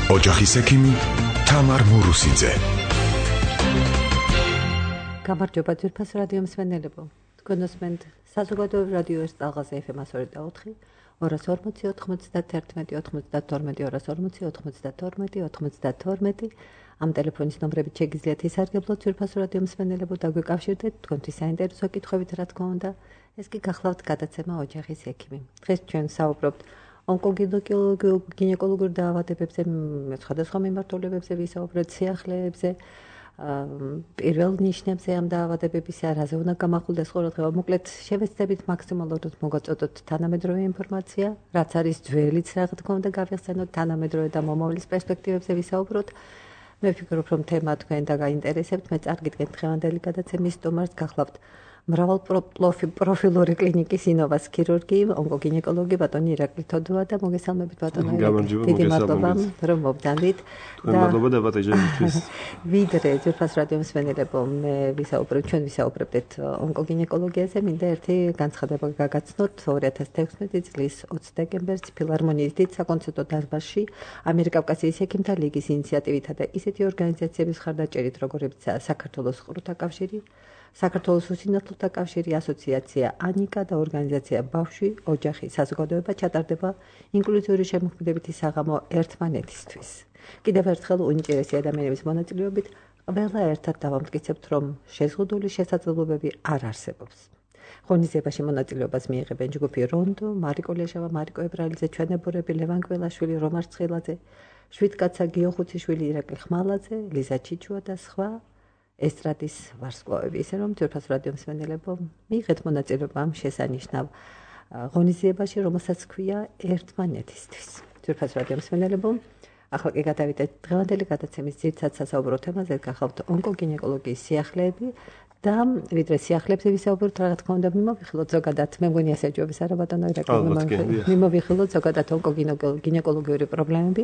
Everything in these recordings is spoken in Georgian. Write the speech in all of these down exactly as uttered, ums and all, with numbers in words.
ოჯახის ექიმი თამარ მურუსიძე. გამარჯობა ძვირფას რადიო მსმენელებო. თქვენ უსმენთ საზოგადოებრივ რადიოს ტალღაზე ეფ ემ one oh four ორას ორმოცი ოცდაათი ოცდათორმეტი ორას ორმოცი ოცდათორმეტი ოცდათორმეტი ამ ტელეფონის ნომრებით შეგიძლიათ ისარგებლოთ ძვირფას რადიო მსმენელებო და გვეკავშირდეთ თქვენთვის საინტერესო კითხვებით, რა თქმა უნდა. ეს კი გახლავთ გადაცემა ოჯახის ექიმი. დღეს ჩვენ საუბრობთ ონკოგინეკოლოგიურ დაავადებებზე, სხვადასხვა მიმართულებებზე ვისაუბრებთ, სიახლეებზე, პირველ ნიშნებზე ამ დაავადებების, რაზე უნდა გამახვილდეს ყურადღება. მოკლედ შევეცდებით მაქსიმალურად მოგაწოდოთ თანამედროვე ინფორმაცია, რაც არის ძველიც, რა თქმა უნდა, გავიხსენოთ თანამედროვე და მომავლის პერსპექტივებზე ვისაუბროთ. მე ვფიქრობ, რომ თემა თქვენ და გაინტერესებთ. მე წარგიდგენთ დღევანდელი გადაცემის სტუმარს, გახლავთ მრავალპროფილური კლინიკის ინოვას ქირურგი, ონკოგინეკოლოგი ბატონი ირაკლი თოდუა და მოგესალმებით ბატონო ირაკლი. დიდი მადლობა, რომ მოგდანდით. მადლობა დაბატეჟებისთვის. ვიდრე ძვირფას რადიო მსმენელებო, მე ვისაუბრებ, ჩვენ ვისაუბრებთ ონკოგინეკოლოგიაზე, მინდა ერთი განცხადება გაგაცნოთ. ორი ათას თექვსმეტი წლის ოცი დეკემბერს ფილარმონიის დიდ საკონცერტო დარბაზში ამიერკავკასიის ექიმთა ლიგის ინიციატივითა და ისეთი ორგანიზაციების მხარდაჭერით, როგორებიცაა საქართველოს ყრუთა კავშირი, საქართველოს უსინათლოთა კავშირი, ასოციაცია ანიკა და ორგანიზაცია ბავშვი, ოჯახი, საზოგადოება ჩატარდება ინკლუზიური შემოქმედებითი საღამო ერთმანეთისთვის. კიდევ ერთხელ უნიჭიერესი ადამიანების მონაწილეობით ყველა ერთად დავამტკიცებთ, რომ შეზღუდული შესაძლებლობები არ არსებობს. ღონისძიებაში მონაწილეობას მიიღებენ ჯგუფი რონდო, მარიკო ლეშავა, მარიკო ებრალიძე, ჩვენებურები, ლევან კველაშვილი, რომარ ცხილაძე, შვიდკაცა გიო ხუციშვილი, ირაკლი ხმალაძე, ლიზა ჩიჩუა და სხვა ესტრადის ვარსკვლავები. ისე რომ ძვირფას რადიო მსმენელებო, მიიღეთ მონაწილეობა ამ შესანიშნავ ღონისძიებაში, რომელსაც ქვია ერთმანეთისთვის. ძვირფას რადიო მსმენელებო, ახლა კი გადავიდეთ დღევანდელი გადაცემის ძირითად სასაუბრო თემაზე, გახლავთ ონკოგინეკოლოგიის სიახლეები და ვიდრე სიახლეებზე ვისაუბროთ, რა თქმა უნდა, მიმოვიხილოთ ზოგადად, მე მგონი ასე ჯობის არა ბატონო ირაკლი, მიმოვიხილოთ ზოგადად ონკოგინეკოლოგიური პრობლემები.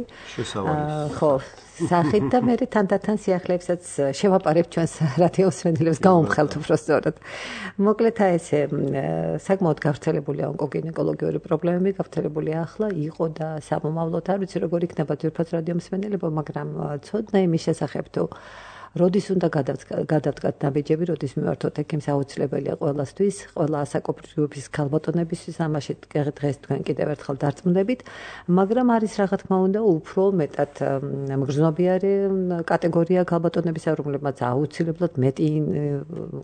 ხო, სახით და მე თანდათან სიახლეებსაც შევაპარებ ჩვენს რადიო მსმენელებს, გავუმხელთ უფრო სწორად. მოკლედ ესე, საკმაოდ გავრცელებულია ონკოგინეკოლოგიური პრობლემები, გავრცელებულია ახლა, იყო და სამომავლოდ არ ვიცი როგორ იქნება ძვირფას რადიო მსმენელებო, მაგრამ ცოდნა იმის შესახებ თუ როდის უნდა გადავდგათ ნაბიჯები, როდის მივართოთ ექიმს, აუცილებელია ყველასთვის, ყველა ასაკობრივების ქალბატონებისთვის, ამაში დღეს თქვენ კიდევ ერთხელ დარწმუნდებით, მაგრამ არის რა თქმა უნდა უფრო მეტად მგრძნობიარე კატეგორია ქალბატონებისა, რომლებმაც აუცილებლად მეტი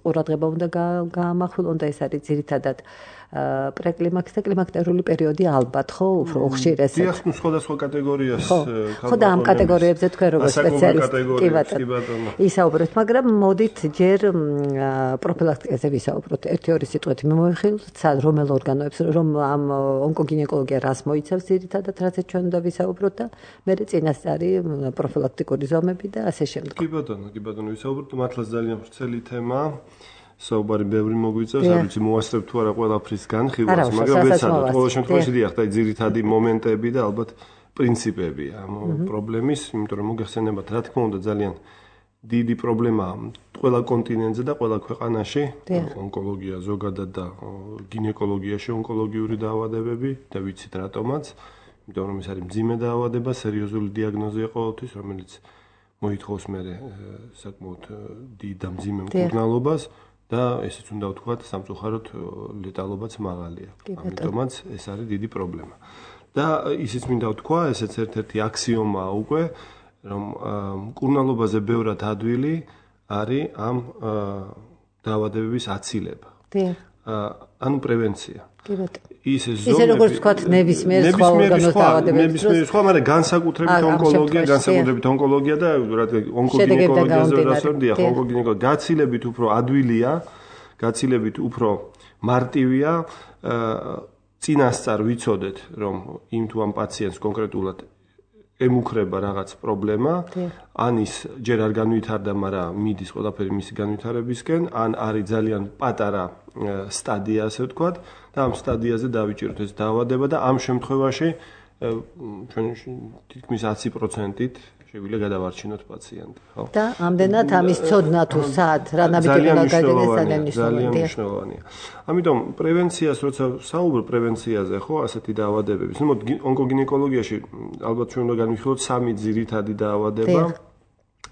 ყურადღება უნდა გაამახვილონ და ეს არის ძირითადად პრეკლიმაქსი და კლიმაქტერული პერიოდი ალბათ, ხო, უფრო უხშირესად. დიახ, სხვადასხვა კატეგორიას ხო და ამ კატეგორიებზე თქვენ როგორც სპეციალისტი კი ბატონო ისაუბროთ, მაგრამ მოდით ჯერ პროფილაქტიკაზე ვისაუბროთ. ერთი ორი სიტყვით მიმოვიხილოთ, რომელ ორგანოებს, რომ ამ ონკოგინეკოლოგია რას მოიცავს ძირითადად, რასაც ჩვენ უნდა ვისაუბროთ და მერე წინასწარი პროფილაქტიკური ზომები და ასე შემდეგ. კი ბატონო, კი ბატონო, ვისაუბროთ, მართლაც ძალიან ვრცელი თემა. საუბარი ბევრი მოგვიწევს, არ ვიცი მოასწრებ თუ არა ყველაფრის განხილვას, მაგრამ ვეცადოთ. ყოველ შემთხვევაში დიახ, და ძირითადი მომენტები და ალბათ პრინციპები ამ პრობლემის, იმიტომ რომ მოგეხსენებათ, რა თქმა უნდა, ძალიან დიდი პრობლემაა ყველა კონტინენტზე და ყველა ქვეყანაში, ონკოლოგია ზოგადად და გინეკოლოგიაში ონკოლოგიური დაავადებები და ვიცით რატომაც, იმიტომ რომ ეს არის მძიმე დაავადება, სერიოზული დიაგნოზია ყოველთვის, რომელიც მოითხოვს მერე საკმაოდ დიდ და მძიმე მკურნალობას. და ესეც უნდა ვთქვათ, სამწუხაროდ ლეტალობაც მაღალია. ამიტომაც ეს არის დიდი პრობლემა. და ისიც მინდა ვთქვა, ესეც ერთ-ერთი აქსიომაა უკვე, რომ მკურნალობაზე ბევრად ადვილი არის ამ დაავადებების აცილება. ანუ პრევენცია. კი ბატონო. ისე ზომები, ისე როგორც ვთქვათ, ნებისმიერ სხვა ორგანოს დაავადებებს. ნებისმიერ სხვა, მაგრამ განსაკუთრებით ონკოლოგია, განსაკუთრებით ონკოლოგია და ონკოგინეკოლოგიაზე ვიდრე ონკოგინეკოლოგია გაცილებით უფრო ადვილია, გაცილებით უფრო მარტივია, წინასწარ ვიცოდეთ, რომ იმ თუ ამ პაციენტს კონკრეტულად ემუქრება რაღაც პრობლემა, ან ის ჯერ არ განვითარდა, მაგრამ მიდის ყველაფერი მისი განვითარებისკენ, ან არის ძალიან პატარა სტადია, ასე ვთქვათ, და ამ სტადიაზე დავიჭიროთ ეს დაავადება და ამ შემთხვევაში ჩვენ თითქმის ათი პროცენტით შეგვიძლია გადავარჩინოთ პაციენტი, ხო? და ამდენად ამის ცოდნა თუ სად რა ნაბიჯები უნდა გაიგოს ძალიან მნიშვნელოვანია. ამიტომ პრევენციას როცა საუბრობ პრევენციაზე, ხო, ასეთი დაავადებების. ნუ ონკოგინეკოლოგიაში ალბათ ჩვენ უნდა განვიხილოთ სამი ძირითადი დაავადება.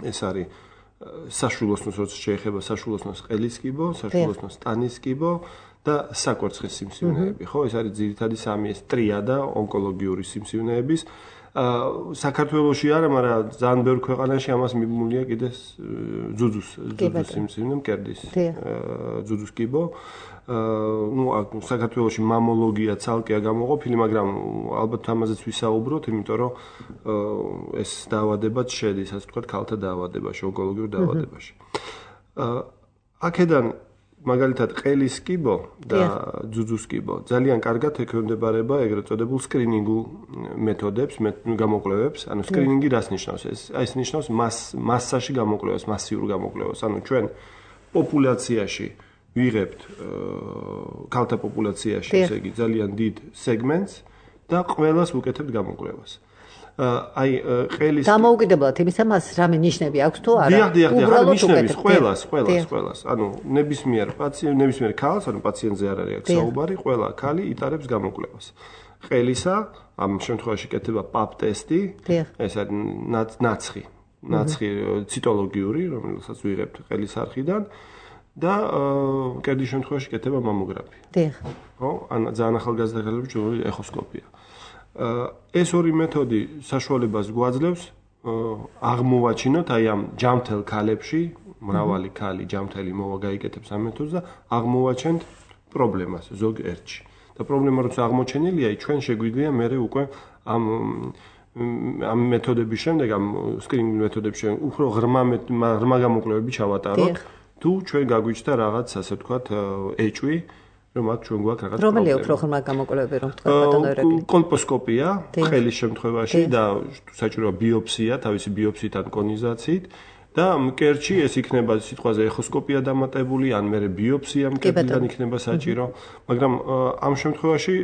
ეს არის საშვილოსნოს როცა შეეხება საშვილოსნოს ყელის კიბო, საშვილოსნოს ტანის კიბო და საკვერცხის სიმსივნეები, ხო? ეს არის ძირითადი სამი ეს ტრიადა ონკოლოგიური სიმსივნეების. საქართველოში არა, მაგრამ ძალიან ბევრ ქვეყანაში ამას მიბმულია კიდე ძუძუს, ძუძუს სიმსივნე, მკერდის ძუძუს კიბო. ნუ საქართველოში მამოლოგია ცალკეა გამოყოფილი, მაგრამ ალბათ ამაზეც ვისაუბროთ, იმიტომ რომ ეს დაავადებაც შედის, ასე ვთქვათ, ქალთა დაავადებაში, ონკოლოგიურ დაავადებაში. აქედან მაგალითად ყელის კიბო და ძუძუს კიბო ძალიან კარგად ექვემდებარება ეგრეთ წოდებულ სკრინინგულ მეთოდებს, გამოკვლევებს. ანუ სკრინინგი რას ნიშნავს? ეს ეს ნიშნავს მასაში გამოკვლევას, მასიურ გამოკვლევას. ანუ ჩვენ პოპულაციაში ვიღებთ ქალთა პოპულაციაში, ესე იგი ძალიან დიდ სეგმენტს და ყველას ვუკეთებთ გამოკვლევას. აი ყელის დამოუკიდებლად იმისა მას რამე ნიშნები აქვს თუ არა? დიახ, დიახ, დიახ, ნიშნების ყველას, ყველას, ყველას. ანუ ნებისმიერ პაციენტ, ნებისმიერ ქალს, ანუ პაციენტზე არ არის აქ საუბარი, ყველა ქალი იტარებს გამოკვლევას. ყელისა, ამ შემთხვევაში კეთდება პაპ ტესტი, ეს არის ნაცხი, ნაცხი ციტოლოგიური, რომელსაც ვიღებთ ყელის არხიდან და მკერდის შემთხვევაში კეთდება მამოგრაფია. დიახ. ხო? ან ძალიან ახალგაზრდა ქალებში ჯგუფური ეხოსკოპია. ეს ორი მეთოდი საშუალებას გვაძლევს აღმოვაჩინოთ აი ამ ჯამთელ ქალებში, მრავალი ქალი ჯამთელი მოვა გაიკეთებს ამ მეთოდს და აღმოვაჩენთ პრობლემას ზოგ ერთში. და პრობლემა როცა აღმოჩენილია, ჩვენ შეგვიძლია მერე უკვე ამ ამ მეთოდების შემდეგ, ამ სკრინინგ მეთოდების შემდეგ უფრო ღრმა ღრმა გამოკვლევები ჩავატაროთ, თუ ჩვენ გაგვიჩნდა რაღაც, ასე ვთქვათ, ეჭვი რომ აქ ჩვენ გვაქვს რაღაც პრობლემა. რომელი უფრო ღრმა გამოკვლევები რომ თქვა ბატონო ერები? კოლპოსკოპია ყელის შემთხვევაში და საჭიროა ბიოპსია, თავისი ბიოპსიიდან კონიზაციით და მკერდში ეს იქნება სიტყვაზე ეხოსკოპია დამატებული, ან მერე ბიოპსია მკერდიდან იქნება საჭირო, მაგრამ ამ შემთხვევაში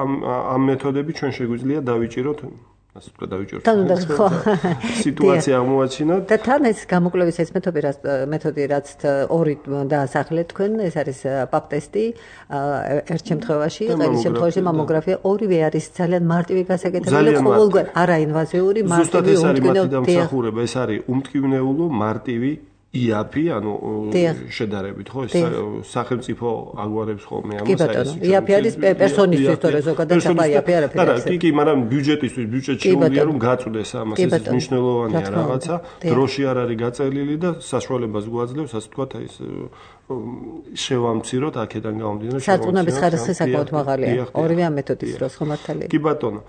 ამ ამ მეთოდები ჩვენ შეგვიძლია დავიჭიროთ ასე ვთქვათ, დავიჭიროთ. სიტუაცია აღმოვაჩინოთ. და თან ეს გამოკვლევის ეს მეთოდი რაც მეთოდი რაც ორი დაასახლეთ თქვენ, ეს არის პაპ ტესტი, ერთ შემთხვევაში, ყელის შემთხვევაში მამოგრაფია, ორივე არის ძალიან მარტივი გასაკეთებელი, ყოველგვარ არაინვაზიური, მარტივი უმტკივნეულო. ეს არის უმტკივნეულო, მარტივი იაფი, ანუ შედარებით, ხო, ეს სახელმწიფო აგვარებს ხოლმე ამას აი. იაფი არის პერსონისთვის, თორე ზოგადად საფა იაფი არაფერი. არა, კი, კი, მაგრამ ბიუჯეტისთვის, ბიუჯეტში შეუძლია რომ გაწვდეს ამას, ეს მნიშვნელოვანია რაღაცა, დროში არ არის გაწელილი და საშუალებას გვაძლევს, ასე ვთქვათ, აი ეს შევამციროთ აქედან გამომდინარე. სარწმუნოების ხარისხი საკმაოდ მაღალია. ორივე ამ მეთოდის დროს ხო მართალია? კი ბატონო.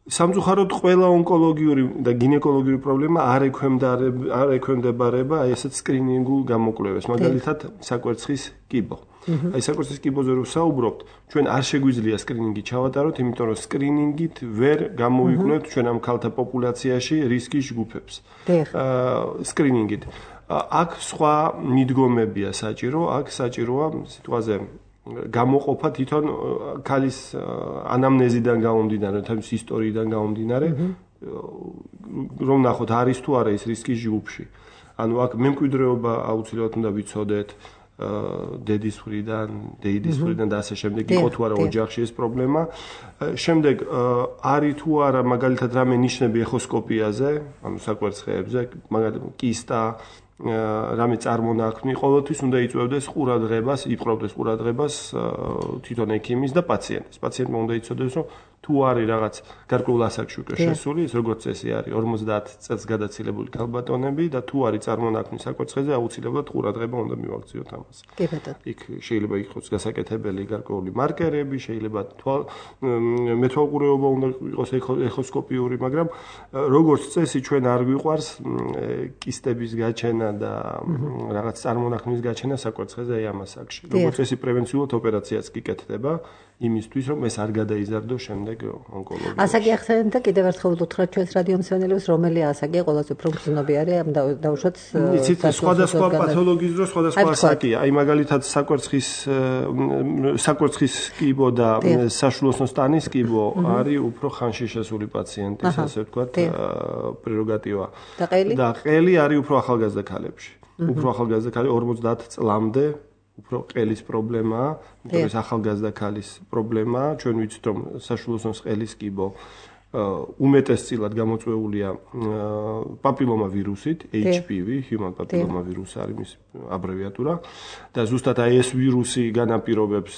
სამწუხაროდ ყველა ონკოლოგიური და გინეკოლოგიური პრობლემა არ ექვემდებარება არ ექვემდებარება აი ესეთ სკრინინგულ გამოკვლევებს, მაგალითად საკვერცხის კიბო. აი საკვერცხის კიბოზე რო საუბრობთ, ჩვენ არ შეგვიძლია სკრინინგი ჩავატაროთ, იმიტომ რომ სკრინინგით ვერ გამოვიკვლევთ ჩვენ ამ ქალთა პოპულაციაში რისკის ჯგუფებს. აა სკრინინგით. აქ სხვა მიდგომებია საჭირო, აქ საჭიროა სიტყვაზე გამოყოფა თვითონ ქალის ანამნეზიდან გამომდინარე, თავის ისტორიიდან გამომდინარე, რომ ნახოთ არის თუ არა ის რისკის ჯგუფში. ანუ აქ მემკვიდრეობა აუცილებლად უნდა ვიცოდეთ, დედის მხრიდან, დეიდის მხრიდან და ასე შემდეგ, იყო თუ არა ოჯახში ეს პრობლემა. შემდეგ არის თუ არა მაგალითად რამე ნიშნები ეხოსკოპიაზე, ანუ საკვერცხეებზე, მაგალითად კისტა რამე წარმონაქმნი, ყოველთვის უნდა იწვევდეს ყურადღებას, იპყრობდეს ყურადღებას თვითონ ექიმის და პაციენტის. პაციენტმა უნდა იცოდეს, რომ თუ არის რაღაც გარკვეულ ასაკში უკვე შესული, ეს როგორც წესი არის ორმოცდაათ წელს გადაცილებული ქალბატონები და თუ არის წარმონაქმნი საკვერცხეზე, აუცილებლად ყურადღება უნდა მივაქციოთ ამას. კი ბატონო. იქ შეიძლება იყოს გასაკეთებელი გარკვეული მარკერები, შეიძლება მეთვალყურეობა უნდა იყოს ეხოსკოპიური, მაგრამ როგორც წესი ჩვენ არ გვიყვარს კისტების გაჩენა და რაღაც წარმონაქმნის გაჩენა საკვერცხეზე აი ამ ასაკში. როგორც წესი პრევენციულად ოპერაციაც კი კეთდება იმისთვის, რომ ეს არ გადაიზარდოს შემდეგ ეგ ონკოლოგია. ასაკი ახსენეთ და კიდევ ერთხელ უთხრათ ჩვენს რადიო მსმენელებს, რომელი ასაკი ყველაზე უფრო გრძნობიარე ამ დაუშვათ სხვადასხვა პათოლოგიის დროს სხვადასხვა ასაკია. აი მაგალითად საკვერცხის საკვერცხის კიბო და საშუალო სტანის კიბო არის უფრო ხანში შესული პაციენტის, ასე ვთქვათ, პრეროგატივა. და ყელი არის უფრო ახალგაზრდა ქალებში. უფრო ახალგაზრდა ქალი ორმოცდაათ წლამდე უფრო ყელის პრობლემაა, იმიტომ ეს ახალგაზრდა ქალის პრობლემაა. ჩვენ ვიცით რომ საშუალო ყელის კიბო უმეტესწილად გამოწვეულია პაპილომა ვირუსით, H P V, human papilloma virus არის მის აბრევიატურა და ზუსტად აი ეს ვირუსი განაპირობებს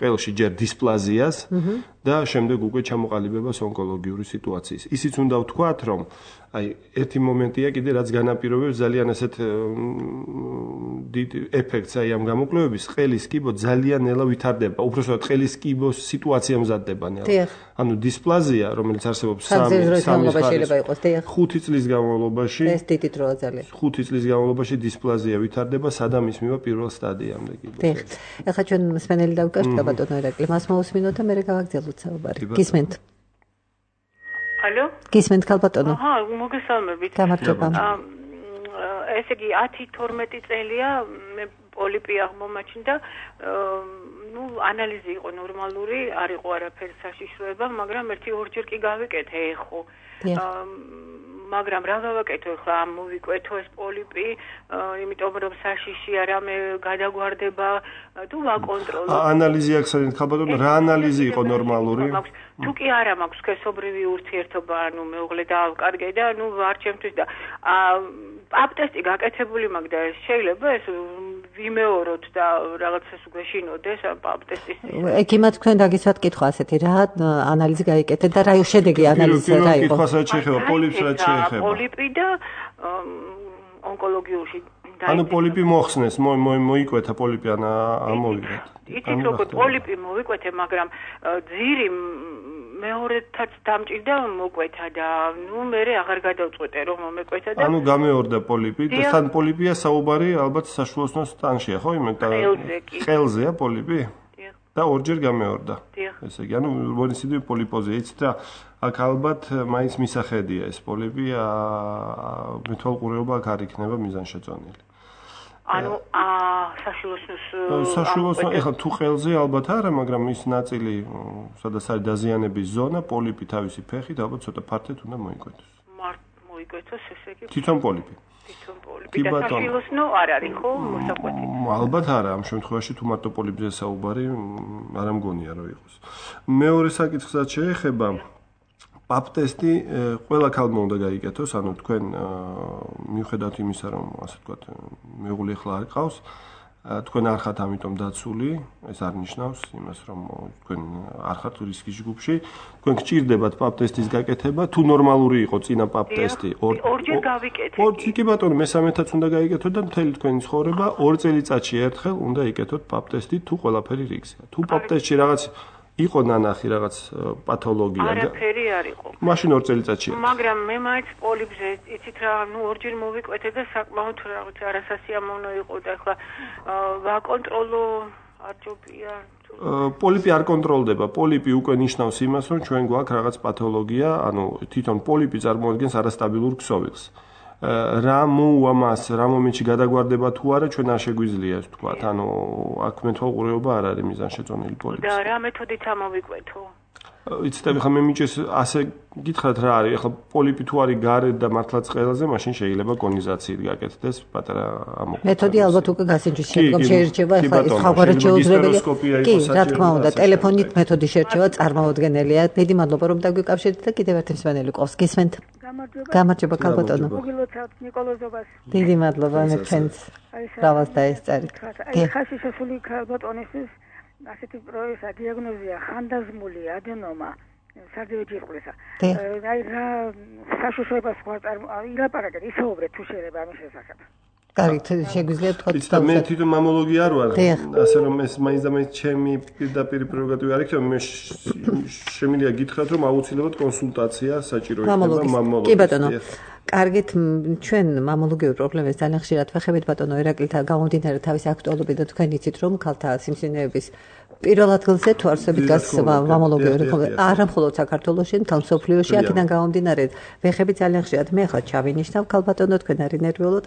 ყელში ჯერ დისპლაზიას და შემდეგ უკვე ჩამოყალიბებას ონკოლოგიური სიტუაციის. ისიც უნდა ვთქვათ, რომ აი ერთი მომენტია კიდე რაც განაპირობებს ძალიან ასეთ დიდ ეფექტს აი ამ გამოკვლევების, ყელის კიბო ძალიან ნელა ვითარდება. უბრალოდ ყელის კიბოს სიტუაცია მზადდება ნელა. ანუ დისპლაზია, რომელიც არსებობს ხუთი წლის განმავლობაში, ეს დიდი დროა ძალიან. ხუთი წლის განმავლობაში დისპლაზია ვითარდება, სადამ ისმება პირველ სტადიამდე კიბოს. ეხლა ჩვენ მსმენელი დავკავშირდა ბატონო ერაკლი, მას მოусმინოთ და მე გავაგრძელოთ საუბარი. გისმენთ? ალო? გისმენთ ქალბატონო? აჰა, მოგესალმებით. გამარჯობა. ესე იგი ათი თორმეტი წელია მე პოლიპი აღმომაჩნდა, ну, ანალიზი იყო ნორმალური, არ იყო არაფერი საშიშროება, მაგრამ ერთი ორჯერ კი გავიკეთე ეხო. მაგრამ რა გავაკეთო ახლა ამ მოვიკვეთო ეს პოლიპი, იმიტომ რომ საშიში არა მე გადაგვარდება თუ ვაკონტროლო. ანალიზი ახსენეთ ხალბატონო, რა ანალიზი იყო ნორმალური? თუ კი არა მაქვს სქესობრივი ურთიერთობა, ანუ მეუღლე დაავკარგე და ნუ არ ჩემთვის და აპტესტი გაკეთებული მაქვს და შეიძლება ეს ვიმეოროთ და რაღაცას უგეშინოდეს ამ აპტესტის. ექიმად თქვენ დაგისვათ კითხვა ასეთი, რა ანალიზი გაიკეთეთ და რა შედეგი ანალიზი რა იყო? კითხვასაც შეეხება პოლიპს რაც შეეხება. პოლიპი და ონკოლოგიურში ანუ პოლიპი მოხსნეს, მოიკვეთა პოლიპი ან ამოვიგეთ. იცით როგორ პოლიპი მოვიკვეთე, მაგრამ ძირი მეორედაც დამჭირდა მოკვეთა და ნუ მე აღარ გადავწყვეტე რომ მომეკვეთა და ანუ გამეორდა პოლიპი და თან პოლიპია საუბარი ალბათ საშუალო სტანშია ხო იმედა ყელზეა პოლიპი და ორჯერ გამეორდა ესე იგი ანუ მონისიდივი პოლიპოზია იცით რა აქ ალბათ მაინც მისახედია ეს პოლიპი მეთვალყურეობა აქ არ იქნება მიზანშეწონილი ანუ აა საშუალოს საშუალოს ეხლა თუ ყელზე ალბათ არა, მაგრამ ის ნაწილი, სადაც არის დაზიანების ზონა, პოლიპი თავისი ფეხით ალბათ ცოტა ფართედ უნდა მოიკვეთოს. მართ მოიკვეთოს ესე იგი. თვითონ პოლიპი. თვითონ პოლიპი და საშუალოს ნო არ არის ხო მოსაკვეთი. ალბათ არა, ამ შემთხვევაში თუ მარტო პოლიპზე საუბარი, არ ამგონია რომ იყოს. მეორე საკითხსაც შეეხება აპტესტი ყველა ქალმა უნდა გაიკეთოს, ანუ თქვენ მიუხედავად იმისა, რომ ასე ვთქვათ, მეუღლე ახლა არ ყავს, თქვენ არ ხართ ამიტომ დაცული, ეს არ ნიშნავს იმას, რომ თქვენ არ ხართ რისკის ჯგუფში, თქვენ გჭირდებათ აპტესტის გაკეთება, თუ ნორმალური იყო წინა აპტესტი, ორჯერ გავიკეთე. ორჯერ კი ბატონო, მესამეთაც უნდა გაიკეთოთ და მთელი თქვენი ცხოვრება ორ წელიწადში ერთხელ უნდა იკეთოთ აპტესტი, თუ ყველაფერი რიგზეა. თუ აპტესტში რაღაც იყო ნანახი რაღაც პათოლოგია. არაფერი არ იყო. მაშინ ორ წელიწადში. მაგრამ მე მაინც პოლიპზე იცით რა, ნუ ორჯერ მოვიკვეთე და საკმაოდ რაღაც არასასიამოვნო იყო და ახლა ვაკონტროლო არ ჯობია. პოლიპი არ კონტროლდება. პოლიპი უკვე ნიშნავს იმას, რომ ჩვენ გვაქვს რაღაც პათოლოგია, ანუ თვითონ პოლიპი წარმოადგენს არასტაბილურ ქსოვილს. რა მოუვა მას, რა მომენტში გადაგვარდება თუ არა, ჩვენ არ შეგვიძლია ეს ვთქვათ. ანუ აქ მეთვალყურეობა არ არის მიზანშეწონილი პოლიპის. და რა მეთოდით ამოვიკვეთო? იცით, ახლა მე მიჭეს ასე გითხრათ რა არის, ახლა პოლიპი თუ არის გარეთ და მართლაც ყელზე, მაშინ შეიძლება კონიზაციით გაკეთდეს პატარა ამოკვეთა. მეთოდი ალბათ უკვე გასინჯის შემდგომ შეირჩევა, ახლა ეს ხავარად შეუძლებელია. კი, რა თქმა უნდა, ტელეფონით მეთოდი შეირჩევა წარმოუდგენელია. დიდი მადლობა რომ დაგვიკავშირეთ და კიდევ ერთი მსმენელი ყავს. გისმენთ? გამარჯობა. გამარჯობა ქალბატონო. მოგილოცავთ ნიკოლოზობას. დიდი მადლობა მე ჩვენს რავას დაესწარით. აი ხაში შესული ქალბატონისთვის ასეთი პროესა დიაგნოზია ხანდაზმული ადენომა სარდიოჯირკვლისა. აი რა საშუალებას ხარ ილაპარაკეთ, ისაუბრეთ თუ შეიძლება ამის შესახებ. კარგი, შეგვიძლია თქვა და მე თვითონ მამოლოგი არ ვარ, ასე რომ ეს მაინც და მაინც ჩემი პირდაპირ პრეროგატივი არ იქნება, მე შემიძლია გითხრათ რომ აუცილებლად კონსულტაცია საჭირო იქნება მამოლოგის. კი ბატონო. კარგით, ჩვენ მამოლოგიურ პრობლემებს ძალიან ხშირად ვეხებით ბატონო ერაკლი და გამომდინარე თავის აქტუალობიდან თქვენ იცით რომ ქალთა სიმსივნეების პირველ ადგილზე თუ არსებით გას მამოლოგიური არა მხოლოდ საქართველოში, მთელ მსოფლიოში, აქედან გამომდინარე, ვეხები ძალიან ხშირად მე ახლა ჩავინიშნავ ქალბატონო თქვენ არ ინერვიულოთ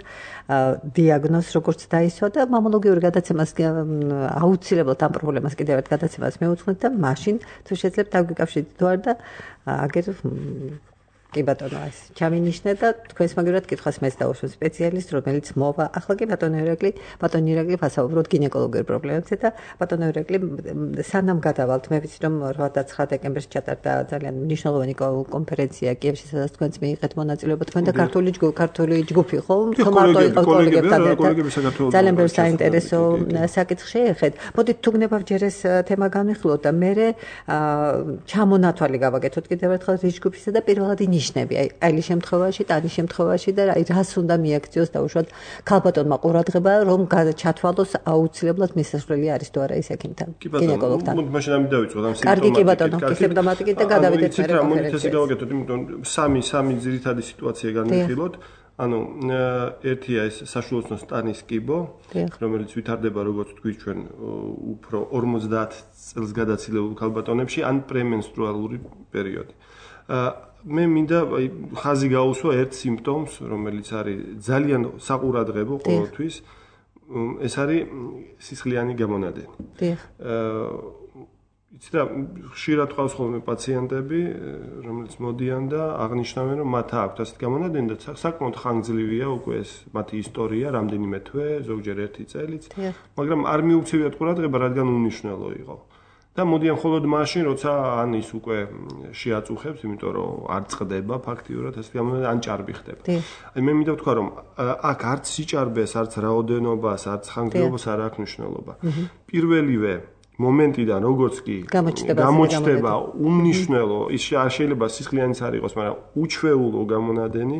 დიაგნოზს როგორც დაისვა და მამოლოგიური გადაცემას აუცილებლად ამ პრობლემას კიდევ ერთ გადაცემას მეუძღვნით და მაშინ თუ შეძლებთ დაგვიკავშირდით თუ არ და აგერ კი ბატონო ეს ჩამინიშნე და თქვენს მაგერად კითხვას მეც დავუშვებ სპეციალისტ რომელიც მოვა ახლა კი ბატონო ირაკლი ბატონო ირაკლი ფასაუბროთ გინეკოლოგიურ პრობლემებზე და ბატონო ირაკლი სანამ გადავალთ მე ვიცი რომ რვა და ცხრა დეკემბერს ჩატარდა ძალიან მნიშვნელოვანი კონფერენცია კიევში სადაც თქვენც მიიღეთ მონაწილეობა თქვენ და ქართული ქართული ჯგუფი ხო მარტო იყო კოლეგებთან ერთად ძალიან ბევრ საინტერესო საკითხს შეეხეთ მოდით თუ გნებავ ჯერ ეს თემა განვიხილოთ და მე ჩამონათვალი გავაკეთოთ კიდევ ერთხელ ის ჯგუფისა და პირველად ნიშნები აი აი შემთხვევაში და ანის შემთხვევაში და აი რას უნდა მიაქციოს და უშუალოდ ქალბატონმა ყურადღება რომ ჩათვალოს აუცილებლად მისასვლელი არის თუ არა ის ექიმთან გინეკოლოგთან. მოდით მაშინ ამით დავიწყოთ ამ კარგი კი ბატონო სիմპტომატიკით და გადავიდეთ მე კონფერენციაზე. გავაკეთოთ იმიტომ სამი სამი ძირითადი სიტუაცია განვიხილოთ. ანუ ერთია ეს საშუალო სტანის კიბო, რომელიც ვითარდება როგორც თქვით ჩვენ უფრო ორმოცდაათ წელს გადაცილებულ ქალბატონებში ან პრემენსტრუალური პერიოდი. მე მინდა ხაზი გაუსვა ერთ სიმპტომს, რომელიც არის ძალიან საყურადღებო ყოველთვის. ეს არის სისხლიანი გამონადენი. დიახ. იცი რა, ხშირად ყავს ხოლმე პაციენტები, რომელიც მოდიან და აღნიშნავენ, რომ მათ აქვთ ასეთ გამონადენი და საკმაოდ ხანგრძლივია უკვე ეს მათი ისტორია, რამდენიმე თვე, ზოგჯერ ერთი წელიც, მაგრამ არ მიუქცევიათ ყურადღება, რადგან უნიშნელო იყო. და მოდიან მხოლოდ მაშინ, როცა ან ის უკვე შეაწუხებს, იმიტომ რომ არ წყდება ფაქტიურად ეს გამონადენი, ან ჭარბი ხდება. აი მე მინდა ვთქვა, რომ აქ არც სიჭარბეს, არც რაოდენობას, არც ხანგრძლივობას არ აქვს მნიშვნელობა. პირველივე მომენტიდან როგორც კი გამოჩნდება უმნიშვნელო, ის შეიძლება სისხლიანიც არ იყოს, მაგრამ უჩვეულო გამონადენი,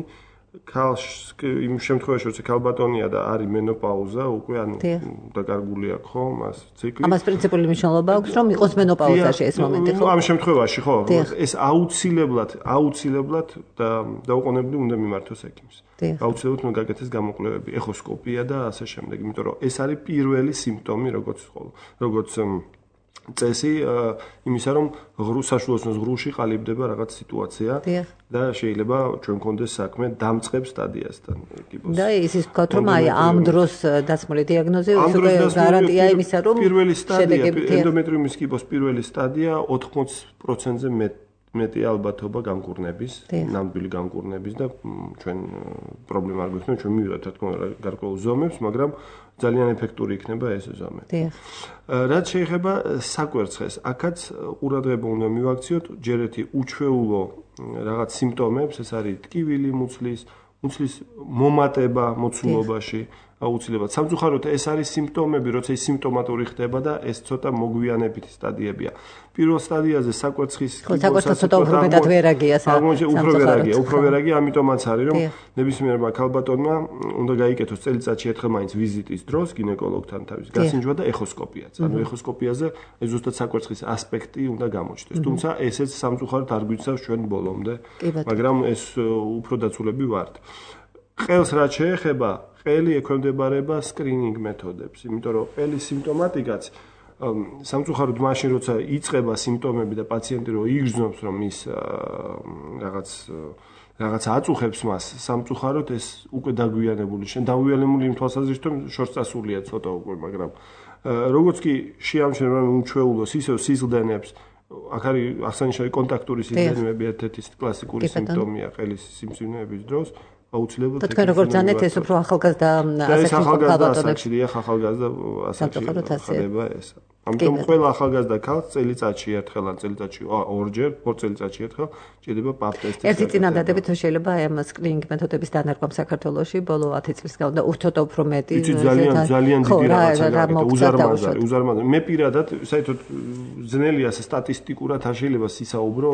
ქალს იმ შემთხვევაში, როცა ქალბატონია და არის მენოპაუზა, უკვე ანუ დაკარგული აქვს ხო, მას ციკლი. ამას პრინციპული მნიშვნელობა აქვს, რომ იყოს მენოპაუზაში ეს მომენტი, ხო? ამ შემთხვევაში, ხო, ეს აუცილებლად, აუცილებლად და დაუყოვნებლივ უნდა მიმართოს ექიმს. აუცილებლად უნდა გაკეთდეს გამოკვლევები, ეხოსკოპია და ასე შემდეგ, იმიტომ რომ ეს არის პირველი სიმპტომი, როგორც როგორც წესი იმისა, რომ ღრუს საშუალოს ღრუში ყალიბდება რაღაც სიტუაცია და შეიძლება ჩვენ გქონდეს საქმე დამწყებ სტადიასთან კიბოს. და ისიც ვთქვათ, რომ აი ამ დროს დაცმული დიაგნოზი უკვე გარანტია იმისა, რომ პირველი სტადია ენდომეტრიუმის კიბოს პირველი სტადია ოთხმოც პროცენტზე მეტი ალბათობა გამკურნების, ნამდვილი გამკურნების და ჩვენ პრობლემა არ გვექნება, ჩვენ მივიღებთ რა თქმა უნდა გარკვეულ ზომებს, მაგრამ ძალიან ეფექტური იქნება ეს ზომე. რაც შეეხება საკვერცხეს, აქაც ყურადღება უნდა მივაქციოთ ჯერ ერთი უჩვეულო რაღაც სიმპტომებს, ეს არის ტკივილი მუცლის, მუცლის მომატება მოცულობაში, აუცილებლად. სამწუხაროდ ეს არის სიმპტომები, როცა ის სიმპტომატური ხდება და ეს ცოტა მოგვიანებითი სტადიებია. პირველ სტადიაზე საკვერცხის კიბოს ცოტა უფრო მეტად ვერაგია სამწუხაროდ. უფრო ვერაგია, უფრო ვერაგია, ამიტომაც არის, რომ ნებისმიერმა ქალბატონმა უნდა გაიკეთოს წელიწადში ერთხელ მაინც ვიზიტის დროს გინეკოლოგთან თავის გასინჯვა და ეხოსკოპიაც. ანუ ეხოსკოპიაზე ეს ზუსტად საკვერცხის ასპექტი უნდა გამოჩნდეს. თუმცა ესეც სამწუხაროდ არ გვიცავს ჩვენ ბოლომდე, მაგრამ ეს უფრო დაცულები ვართ. ყელს რაც შეეხება ყელი ექვემდებარება სკრინინგ მეთოდებს, იმიტომ რომ ყელის სიმპტომატიკაც სამწუხაროდ მაშინ როცა იწყება სიმპტომები და პაციენტი რო იგრძნობს რომ ის რაღაც რაღაც აწუხებს მას, სამწუხაროდ ეს უკვე დაგვიანებული, შენ დაგვიანებული იმ თვალსაზრისით რომ შორს წასულია ცოტა უკვე, მაგრამ როგორც კი შეამჩნევა უჩვეულოს ისევ სიზლდენებს, აქ არის აღსანიშნავი კონტაქტური სიზლდენები, ერთ-ერთი კლასიკური სიმპტომია ყელის სიმსივნეების დროს. აუცილებლად და თქვენ როგორც ძანეთ ეს უფრო ახალგაზრდა ასაკში ქალბატონებში დიახ ახალგაზრდა ასაკში ხდება ეს. ამიტომ ყველა ახალგაზრდა ქალს წელიწადში ერთხელ ან წელიწადში ორჯერ, ორ წელიწადში ერთხელ ჭირდება პაპ ტესტი. ერთი წინადადები თუ შეიძლება აი ამ სკრინინგ მეთოდების დანერგვა საქართველოში ბოლო ათი წლის განმავლობაში და უცოტა უფრო მეტი ძალიან ძალიან დიდი რაღაცა უზარმაზარი, უზარმაზარი. მე პირადად საერთოდ ძნელია სტატისტიკურად არ შეიძლება სისაუბრო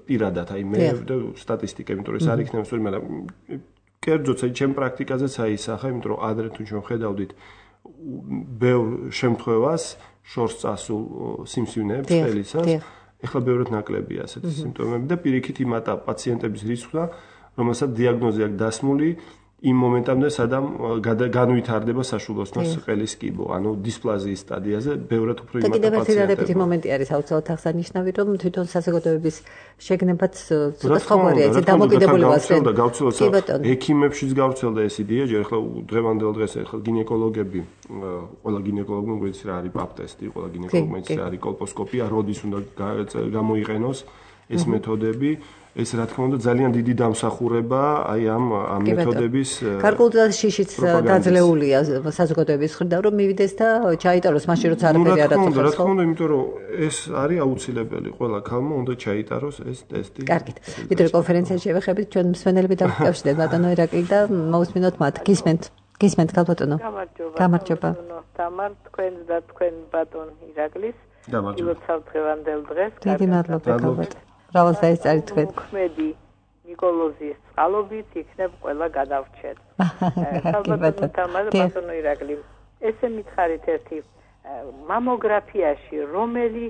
პირადად აი მე და სტატისტიკა, იმიტომ რომ ეს არ იქნება სწორი, მაგრამ კერძოდ აი ჩემ პრაქტიკაზეც აისახა, იმიტომ რომ ადრე თუ ჩვენ ხედავდით ბევრ შემთხვევას შორს წასულ სიმსივნეებს ყელისას, ეხლა ბევრად ნაკლებია ასეთი სიმპტომები და პირიქით იმატა პაციენტების რისკს, რომელსაც დიაგნოზი აქვს დასმული, იმ მომენტამდე სადამ განვითარდება საშულოსნოს ყელის კიბო, ანუ დისპლაზიის სტადიაზე ბევრად უფრო იმატა პაციენტები. კიდევ ერთი რარებითი მომენტი არის აუცილებლად აღსანიშნავი, რომ თვითონ საზოგადოების შეგნებაც ცოტა სხვაგვარია, ეს დამოკიდებულებას გავრცელდა, გავრცელდა. ექიმებშიც გავრცელდა ეს იდეა, ჯერ ახლა დღევანდელ დღეს ახლა გინეკოლოგები, ყველა გინეკოლოგმა გვეცი რა არის პაპ ტესტი, ყველა გინეკოლოგმა იცი რა არის კოლპოსკოპია, როდის უნდა გამოიყენოს ეს მეთოდები. ეს რა თქმა უნდა ძალიან დიდი დამსახურება აი ამ ამ მეთოდების გარკვეულწილად შიშიც დაძლეულია საზოგადოების მხრიდან რომ მივიდეს და ჩაიტაროს მაშინ როცა არაფერი არ აწუხებს. რა თქმა უნდა, იმიტომ რომ ეს არის აუცილებელი, ყველა ქალმა უნდა ჩაიტაროს ეს ტესტი. კარგით. ვიდრე კონფერენციაში შევეხებით, ჩვენ მსმენელები დავკავშირდეთ ბატონო ირაკლი და მოусმინოთ მათ. გისმენთ. გისმენთ ბატონო. გამარჯობა. გამარჯობა. თამარ, თქვენ და თქვენ ბატონ ირაკლის. გამარჯობა. ილოცავ დღევანდელ დღეს. დიდი მადლობა ბატონო. რავალ საერთოდ თქვენ მოქმედი ნიკოლოზის წყალობით იქნებ ყველა გადავრჩეთ. ალბათ თამარ ბატონო ირაკლი. ესე მითხარით ერთი მამოგრაფიაში რომელი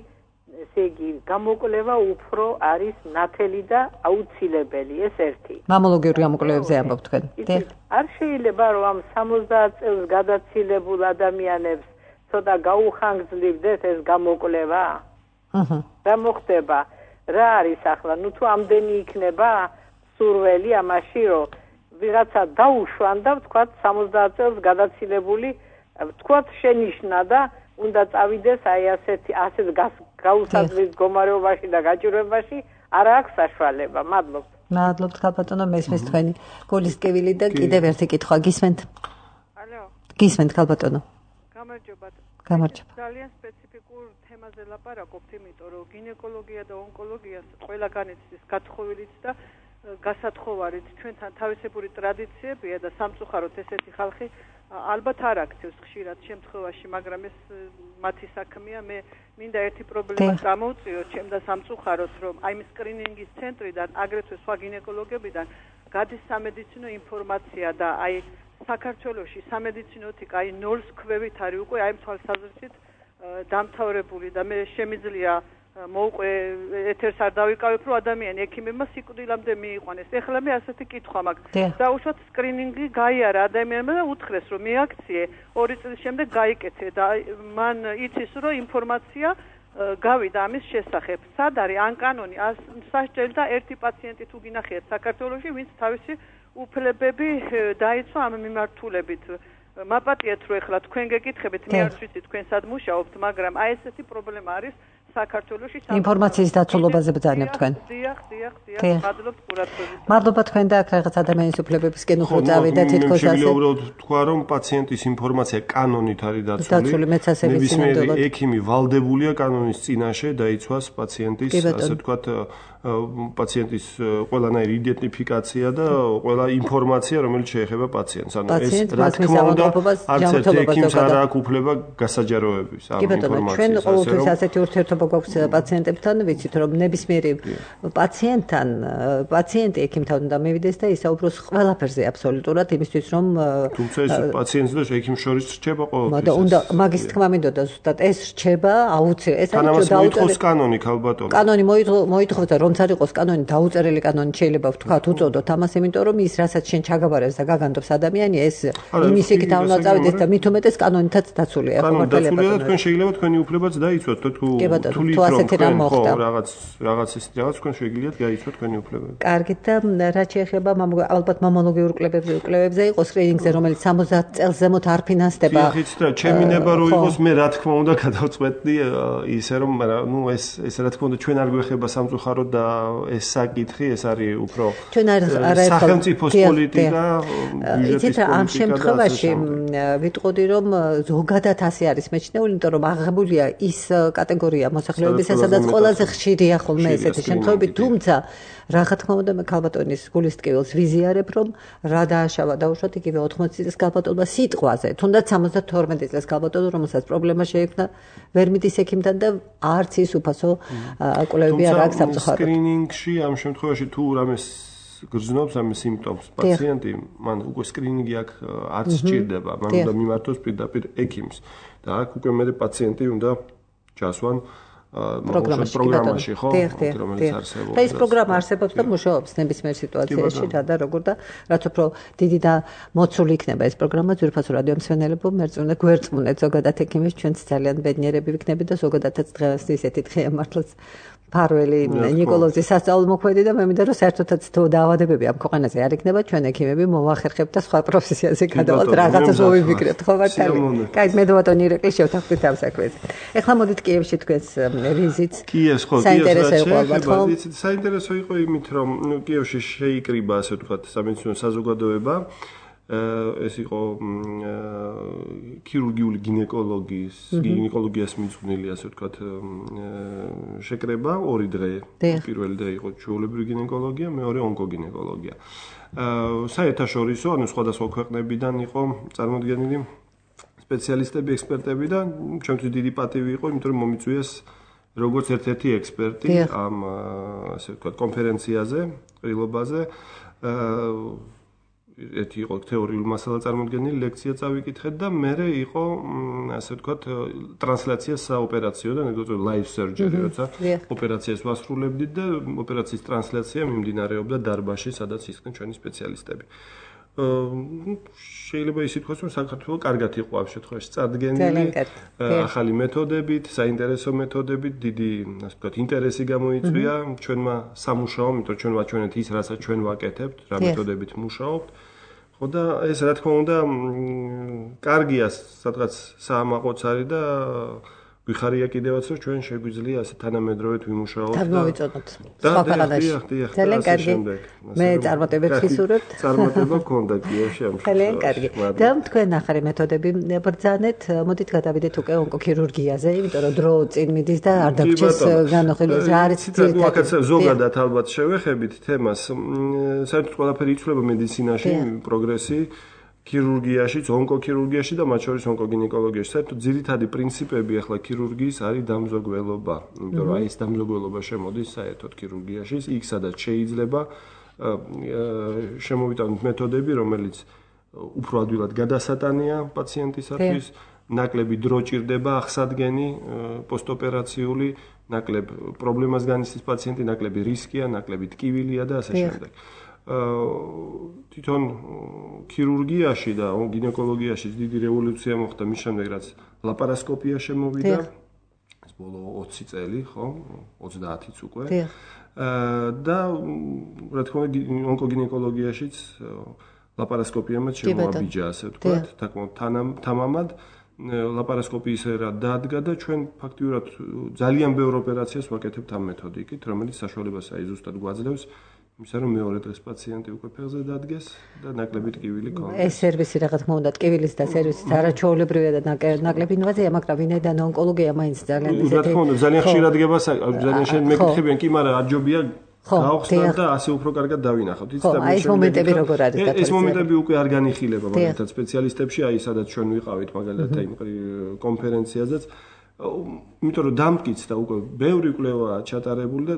ესე იგი გამოკვლევა უფრო არის ნათელი და აუცილებელი ეს ერთი. მამოლოგიური გამოკვლევებზე ამბობ თქვენ. არ შეიძლება რომ ამ სამოცდაათ წელს გადაცილებულ ადამიანებს ცოტა გაუხანგრძლივდეთ ეს გამოკვლევა? აჰა. რა მოხდება? რა არის ახლა? ნუ თუ ამდენი იქნება სურველი ამაში რომ ვიღაცა დაუშვან და ვთქვათ სამოცდაათ წელს გადაცილებული ვთქვათ შენიშნა და უნდა წავიდეს აი ასეთი ასეთ გაუსაძლის მდგომარეობაში და გაჭირვებაში არ აქვს საშუალება. მადლობთ. მადლობთ ხალბატონო, მესმის თქვენი გულისკევილი და კიდევ ერთი კითხვა გისმენთ? ალო. გისმენთ ხალბატონო. გამარჯობა. გამარჯობა. ძალიან სპეციფიკურ თემაზე ლაპარაკობთ, იმიტომ რომ გინეკოლოგია და ონკოლოგია ყველგან იცის გათხოვილიც და გასათხოვარით ჩვენთან თავისებური ტრადიციებია და სამწუხაროდ ესეთი ხალხი ალბათ არ აქცევს ხშირად შემთხვევაში, მაგრამ ეს მათი საქმეა. მე მინდა ერთი პრობლემა გამოვწიოთ ჩემ და სამწუხაროდ, რომ აი ამ სკრინინგის ცენტრიდან, აგრეთვე სხვა გინეკოლოგებიდან გადის სამედიცინო ინფორმაცია და აი საქართველოში სამედიცინოთიკა აი ნოლს ქვევით არის უკვე აი თვალსაზრისით დამთავრებული და მე შემიძლია მოვყვე ეთერს არ დავიკავებ რომ ადამიანი ექიმებმა სიკვდილამდე მიიყვანეს. ეხლა მე ასეთი კითხვა მაქვს. დაუშვათ სკრინინგი გაიარა ადამიანმა და უთხრეს რომ მიაქციე ორი წლის შემდეგ გაიკეთე და მან იცის რომ ინფორმაცია გავიდა ამის შესახებ. სად არის ან კანონი ან სასჯელი და ერთი პაციენტი თუ გინახიათ საქართველოში ვინც თავისი უფლებები დაიცვა ამ მიმართულებით. მაპატიეთ რომ ეხლა თქვენ გეკითხებით, მე არ ვიცი თქვენ სად მუშაობთ, მაგრამ აი ესეთი პრობლემა არის საქართველოში. ინფორმაციის დაცულობაზე ბრძანებთ თქვენ. დიახ, დიახ, დიახ. მადლობთ ყურადღებისთვის. მადლობა თქვენ და აქ რაღაც ადამიანის უფლებებისკენ უფრო წავიდა თითქოს ასე. შეიძლება უბრალოდ თქვა რომ პაციენტის ინფორმაცია კანონით არის დაცული. დაცული მეც ასე ვიცი ნამდვილად. ექიმი ვალდებულია კანონის წინაშე დაიცვას პაციენტის ასე ვთქვათ პაციენტის ყველანაირი იდენტიფიკაცია და ყველა ინფორმაცია რომელიც შეეხება პაციენტს. ანუ ეს რა თქმა უნდა არც ერთ ექიმს არ აქვს უფლება გასაჯაროების ამ ინფორმაციას. ჩვენ ყოველთვის ასეთი ურთიერთობა გვაქვს პაციენტებთან, ვიცით რომ ნებისმიერი პაციენტთან პაციენტი ექიმთან უნდა მივიდეს და ისაუბროს ყველაფერზე აბსოლუტურად იმისთვის რომ თუმცა ეს პაციენტს და ექიმს შორის რჩება ყოველთვის. მაგრამ უნდა მაგის თქმა მინდოდა ზუსტად ეს რჩება აუცილებლად. ეს არის დაუწერეს კანონი ქალბატონო. კანონი მოითხოვდა რომ არ იყოს კანონი დაუწერელი კანონი შეიძლება ვთქვათ უწოდოთ ამას, იმიტომ რომ ის რასაც შენ ჩაგაბარებს და გაგანდობს ადამიანი ეს იმის იქით არ უნდა წავიდეს და მით უმეტეს კანონითაც დაცულია. კანონი დაცულია და თქვენ შეიძლება თქვენი უფლებაც დაიცვათ და თუ თუ ასეთი რამ მოხდა რაღაც რაღაც ის რაღაც თქვენ შეგიძლიათ გაიცვათ თქვენი უფლებები. კარგით და რაც შეეხება ალბათ მამოლოგიურ კლებებზე კლებებზე იყოს სკრინინგზე რომელიც სამოცდაათ წელს ზემოთ არ ფინანსდება. ხით და ჩემი ნება რო იყოს მე რა თქმა უნდა გადავწყვეტდი ისე რომ ნუ ეს ეს რა თქმა უნდა ჩვენ არ გვეხება სამწუხაროდ და ეს საკითხი ეს არის უფრო სახელმწიფოს პოლიტიკა ბიუჯეტის პოლიტიკა. ამ შემთხვევაში ვიტყოდი რომ ზოგადად ასე არის მეჩნეული, იმიტომ რომ აღებულია ის კატეგორია მოსახლეობისა, სადაც ყველაზე ხშირია ხოლმე ესეთი შემთხვევები, თუმცა რა თქმა უნდა მე ქალბატონის გულისტკივილს ვიზიარებ რომ რა დააშავა დაუშვათ იგივე ოთხმოცი წლის ქალბატონმა სიტყვაზე, თუნდაც სამოცდათორმეტი წლის ქალბატონო რომელსაც პრობლემა შეექმნა ვერ მიდის ექიმთან და არც ის უფასო კვლევები არ აქვს სამწუხაროდ. სკრინინგში ამ შემთხვევაში თუ რამეს გრძნობს ამ სიმპტომს პაციენტი, მან უკვე სკრინინგი აქ არც სჭირდება, მან უნდა მიმართოს პირდაპირ ექიმს და აქ უკვე მე პაციენტი უნდა ჩასვან პროგრამაში, ხო? რომელიც არსებობს. და ეს პროგრამა არსებობს და მუშაობს ნებისმიერ სიტუაციაში, რა და როგორ და რაც უფრო დიდი და მოცული იქნება ეს პროგრამა, ძვირფასო რადიო მსმენელებო, მერწმუნე გვერწმუნეთ ზოგადად ექიმებს, ჩვენც ძალიან ბედნიერები ვიქნებით და ზოგადადაც დღეს ისეთი დღეა მართლაც ფარველი ნიკოლოზის სასწავლო მოქმედი და მე მინდა რომ საერთოდაც თუ დაავადებები ამ ქვეყანაზე არ იქნება, ჩვენ ექიმები მოვახერხებთ და სხვა პროფესიაზე გადავალთ, რაღაცას მოვიფიქრებთ, ხო მართალი? კაი, მე დავატონი ირეკლი შევთანხმდით ამ საქმეზე. ეხლა მოდით კიევში თქვენს ვიზიტს. კიევს ხო, საინტერესო იყო ალბათ, ხო? საინტერესო იყო იმით, რომ კიევში შეიკრიბა, ასე ვთქვათ, სამედიცინო საზოგადოება. ეს იყო ქირურგიული გინეკოლოგიის, გინეკოლოგიას მიძღვნილი, ასე ვთქვათ, შეკრება, ორი დღე. პირველი დღე იყო ჩვეულებრივი გინეკოლოგია, მეორე ონკოგინეკოლოგია. საერთაშორისო, ანუ სხვადასხვა ქვეყნებიდან იყო წარმოდგენილი სპეციალისტები, ექსპერტები და ჩვენთვის დიდი პატივი იყო, იმიტომ რომ მომიწვიეს როგორც ერთ-ერთი ექსპერტი ამ, ასე ვთქვათ, კონფერენციაზე, ყრილობაზე. ერთი იყო თეორიული მასალა წარმოდგენილი, ლექცია წავიკითხეთ და მერე იყო, ასე ვთქვათ, ტრანსლაცია საოპერაციოდან, ეგრეთ წოდებული live surgery, როცა ოპერაციას ვასრულებდით და ოპერაციის ტრანსლაცია მიმდინარეობდა დარბაზში, სადაც ისხდნენ ჩვენი სპეციალისტები. შეიძლება ისე თქვას, რომ საქართველო კარგად იყო ამ შემთხვევაში წარდგენილი, ახალი მეთოდებით, საინტერესო მეთოდებით, დიდი, ასე ვთქვათ, ინტერესი გამოიწვია ჩვენმა სამუშაომ, იმიტომ რომ ჩვენ ვაჩვენეთ ის, რასაც ჩვენ ვაკეთებთ, რა მეთოდებით მუშაობთ. ხო და ეს რა თქმა უნდა, კარგია სადღაც საამაყოც არის და ვიხარია კიდევაც, რომ ჩვენ შეგვიძლია ასე თანამედროვედ ვიმუშაოთ და მოვიწოდოთ სხვა ქვეყანაში. ძალიან კარგი. მე წარმატებებს ვისურვებთ. წარმატება გქონდა კიევში ამ შემთხვევაში. ძალიან კარგი. და თქვენ ახალი მეთოდები ბრძანეთ, მოდით გადავიდეთ უკვე ონკოქირურგიაზე, იმიტომ რომ დრო წინ მიდის და არ დაგვრჩეს განხილვა. რა არის ძირითადად ზოგადად ალბათ შევეხებით თემას. საერთოდ ყველაფერი იცვლება მედიცინაში, პროგრესი ქირურგიაშიც, ონკოქირურგიაში და მათ შორის ონკოგინეკოლოგიაში. საერთოდ ძირითადი პრინციპები ახლა ქირურგიის არის დამზოგველობა. იმიტომ რომ აი ეს დამზოგველობა შემოდის საერთოდ ქირურგიაში, იქ სადაც შეიძლება შემოვიტანოთ მეთოდები, რომელიც უფრო ადვილად გადასატანია პაციენტისათვის, ნაკლები დრო ჭირდება აღსადგენი პოსტოპერაციული, ნაკლებ პრობლემას განიცდის პაციენტი, ნაკლები რისკია, ნაკლები ტკივილია და ასე შემდეგ. თვითონ ქირურგიაში და გინეკოლოგიაში დიდი რევოლუცია მოხდა მის შემდეგ, რაც ლაპარასკოპია შემოვიდა. ეს ბოლო ოცი წელი, ხო? ოცდაათიც უკვე. და რა თქმა უნდა, ონკოგინეკოლოგიაშიც ლაპარასკოპიამაც შემოაბიჯა, ასე ვთქვათ, თამამად. ლაპარასკოპიის ერა დადგა და ჩვენ ფაქტიურად ძალიან ბევრ ოპერაციას ვაკეთებთ ამ მეთოდიკით, რომელიც საშუალებას აი ზუსტად გვაძლევს იმისა, რომ მეორე დღეს პაციენტი უკვე ფეხზე დადგეს და ნაკლები ტკივილი ქონდეს. ეს სერვისი რა თქმა უნდა, ტკივილის და სერვისის არაჩვეულებრივია და ნაკლები ინვაზია, მაგრამ ვინაიდან ონკოლოგია მაინც ძალიან ისეთი. რა თქმა უნდა, ძალიან ხშირად გება, ძალიან შენ მეკითხებიან, კი, მაგრამ აჯობია გავხსნათ და ასე უფრო კარგად დავინახავთ. იცით და მე ეს მომენტები როგორ არის გათვალისწინებთ? ეს მომენტები უკვე არ განიხილება მაგალითად სპეციალისტებში, აი სადაც ჩვენ ვიყავით მაგალითად იმ კონფერენციაზეც. იმიტომ რომ დამტკიცდა უკვე ბევრი კვლევაა ჩატარებული და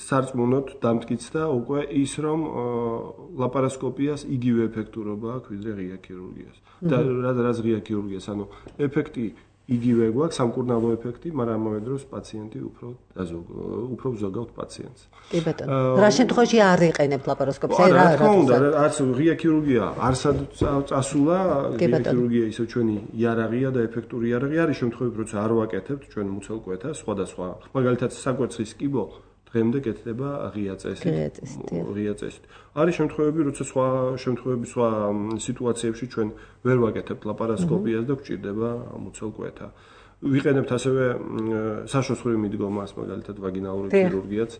სარწმუნოდ დამტკიცდა უკვე ის, რომ ლაპარასკოპიას იგივე ეფექტურობა აქვს ვიდრე ღია ქირურგიას. და რაც ღია ქირურგიას, ანუ ეფექტი იგივე გვაქვს, სამკურნალო ეფექტი, მაგრამ ამავე დროს პაციენტი უფრო უფრო ვზოგავთ პაციენტს. კი ბატონო. რა შემთხვევაში არ იყენებთ ლაპარასკოპს? რა რა თქმა უნდა, არც ღია ქირურგია არსად წასულა, ღია ქირურგია ისე ჩვენი იარაღია და ეფექტური იარაღი არის შემთხვევები, როცა არ ვაკეთებთ ჩვენ მუცელ კვეთას, სხვადასხვა. მაგალითად, საკვერცხის კიბო დღემდე კეთდება ღია წესით. ღია წესით. არის შემთხვევები, როცა სხვა შემთხვევები, სხვა სიტუაციებში ჩვენ ვერ ვაკეთებთ ლაპარასკოპიას და გვჭირდება მუცელ კვეთა. ვიყენებთ ასევე საშოსხრივ მიდგომას, მაგალითად ვაგინალური ქირურგიაც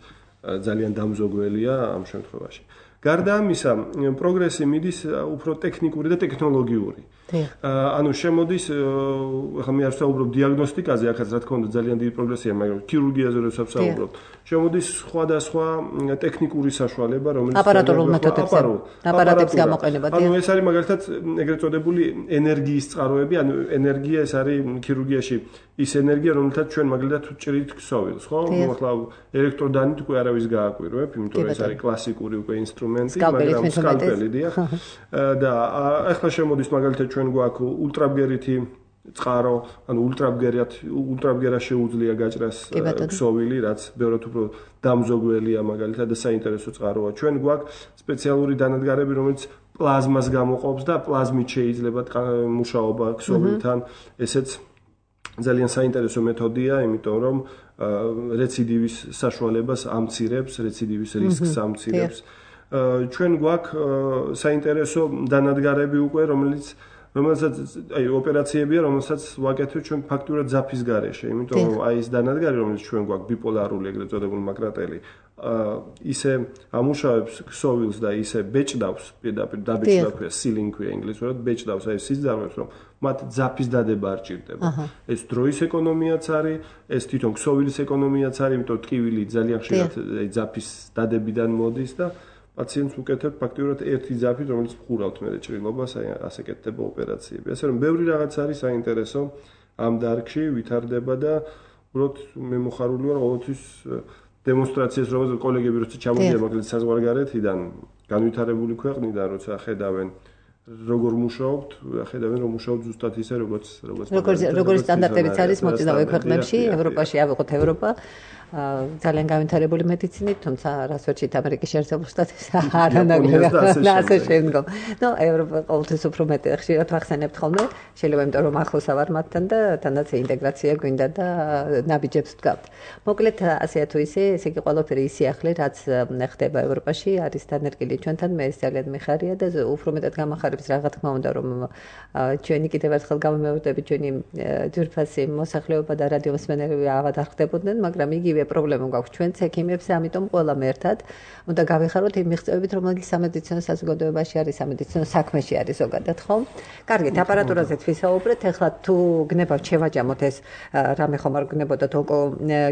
ძალიან დამზოგველია ამ შემთხვევაში. გარდა ამისა, პროგრესი მიდის უფრო ტექნიკური და ტექნოლოგიური. ანუ შემოდის, ახლა მე არ ვსაუბრობ დიაგნოსტიკაზე, ახაც რა თქმა უნდა ძალიან დიდი პროგრესია, მაგრამ ქირურგიაზე როცა ვსაუბრობ, შემოდის სხვადასხვა ტექნიკური საშუალება, რომელიც აპარატურულ მეთოდებზე, აპარატებს გამოყენება. ანუ ეს არის მაგალითად ეგრეთ წოდებული ენერგიის წყაროები, ანუ ენერგია ეს არის ქირურგიაში ის ენერგია, რომელთაც ჩვენ მაგალითად ვჭრით ქსოვილს, ხო? ნუ ახლა ელექტროდანით უკვე არავის გააკვირვებ, იმიტომ რომ ეს არის კლასიკური უკვე ინსტრუმენტი, მაგრამ სკალპელი დიახ. და ახლა შემოდის მაგალითად ჩვენ გვაქვს ულტრაბგერითი წყარო, ანუ ульტრაბგერად, ульტრაბგერა შეუძლია გაჭრას ქსოვილი, რაც ბევრად უფრო დამზოგველია მაგალითად და საინტერესო წყაროა. ჩვენ გვაქვს სპეციალური დანადგარები, რომელიც პლაზმას გამოყოფს და პლაზმით შეიძლება მუშაობა ქსოვილთან. ესეც ძალიან საინტერესო მეთოდია, იმიტომ რომ რეციდივის საშუალებას ამცირებს, რეციდივის რისკს ამცირებს. ჩვენ გვაქვს საინტერესო დანადგარები უკვე, რომელიც რომელსაც აი ოპერაციებია, რომელსაც ვაკეთებ ჩვენ ფაქტურად ძაფის გარეშე, იმიტომ რომ აი ეს დანადგარი, რომელიც ჩვენ გვაქვს ბიპოლარული ეგრეთ წოდებული მაკრატელი, ისე ამუშავებს ქსოვილს და ისე ბეჭდავს, პირდაპირ დაბეჭდა ქვია, sealing ქვია ინგლისურად, ბეჭდავს აი სიზდარმებს, რომ მათ ძაფის დადება არ ჭირდება. ეს დროის ეკონომიაც არის, ეს თვითონ ქსოვილის ეკონომიაც არის, იმიტომ ტკივილი ძალიან ხშირად აი ძაფის დადებიდან მოდის და პაციენტს უკეთებ ფაქტურად ერთი ძაფით, რომელიც ხურავთ მე ჭრილობას, აი ასე კეთდება ოპერაციები. ასე რომ ბევრი რაღაც არის საინტერესო ამ დარგში, ვითარდება და უბრალოდ მე მოხარული ვარ ყოველთვის დემონსტრაციას, რომელსაც კოლეგები როცა ჩამოდიან მაგალითად საზღვარგარეთიდან, განვითარებული ქვეყნიდან, როცა ხედავენ როგორ მუშაობთ, ხედავენ რომ მუშაობთ ზუსტად ისე, როგორც როგორც როგორც სტანდარტებიც არის მოწინავე ქვეყნებში, ევროპაში, ავიღოთ ევროპა. ძალიან განვითარებული მედიცინით, თუმცა რას ვერჩით ამერიკის შეერთებულ შტატებში არანაკლები და ასე შემდგომ. ნუ ევროპა ყოველთვის უფრო მეტი ხშირად ვახსენებთ ხოლმე, შეიძლება იმიტომ რომ ახლოსა ვარ მათთან და თანაც ინტეგრაცია გვინდა და ნაბიჯებს ვდგავთ. მოკლედ ასე თუ ისე, ესე იგი ყველაფერი ისიახლე, რაც ხდება ევროპაში, არის დანერგილი ჩვენთან, მე ეს ძალიან მიხარია და უფრო მეტად გამახარებს რა თქმა უნდა, რომ ჩვენი კიდევ ერთხელ გამომევდები ჩვენი ძვირფასი მოსახლეობა და რადიომსმენელები ავად არ ხდებოდნენ, მაგრამ იგი პრობლემა გვაქვს ჩვენც ექიმებს, ამიტომ ყველამ ერთად უნდა გავიხაროთ იმ მიღწევებით, რომელიც სამედიცინო საზოგადოებაში არის, სამედიცინო საქმეში არის ზოგადად, ხო? კარგით, აპარატურაზეც ვისაუბრეთ, ეხლა თუ გნებავთ შევაჯამოთ ეს რამე ხომ არ გნებოდათ ონკო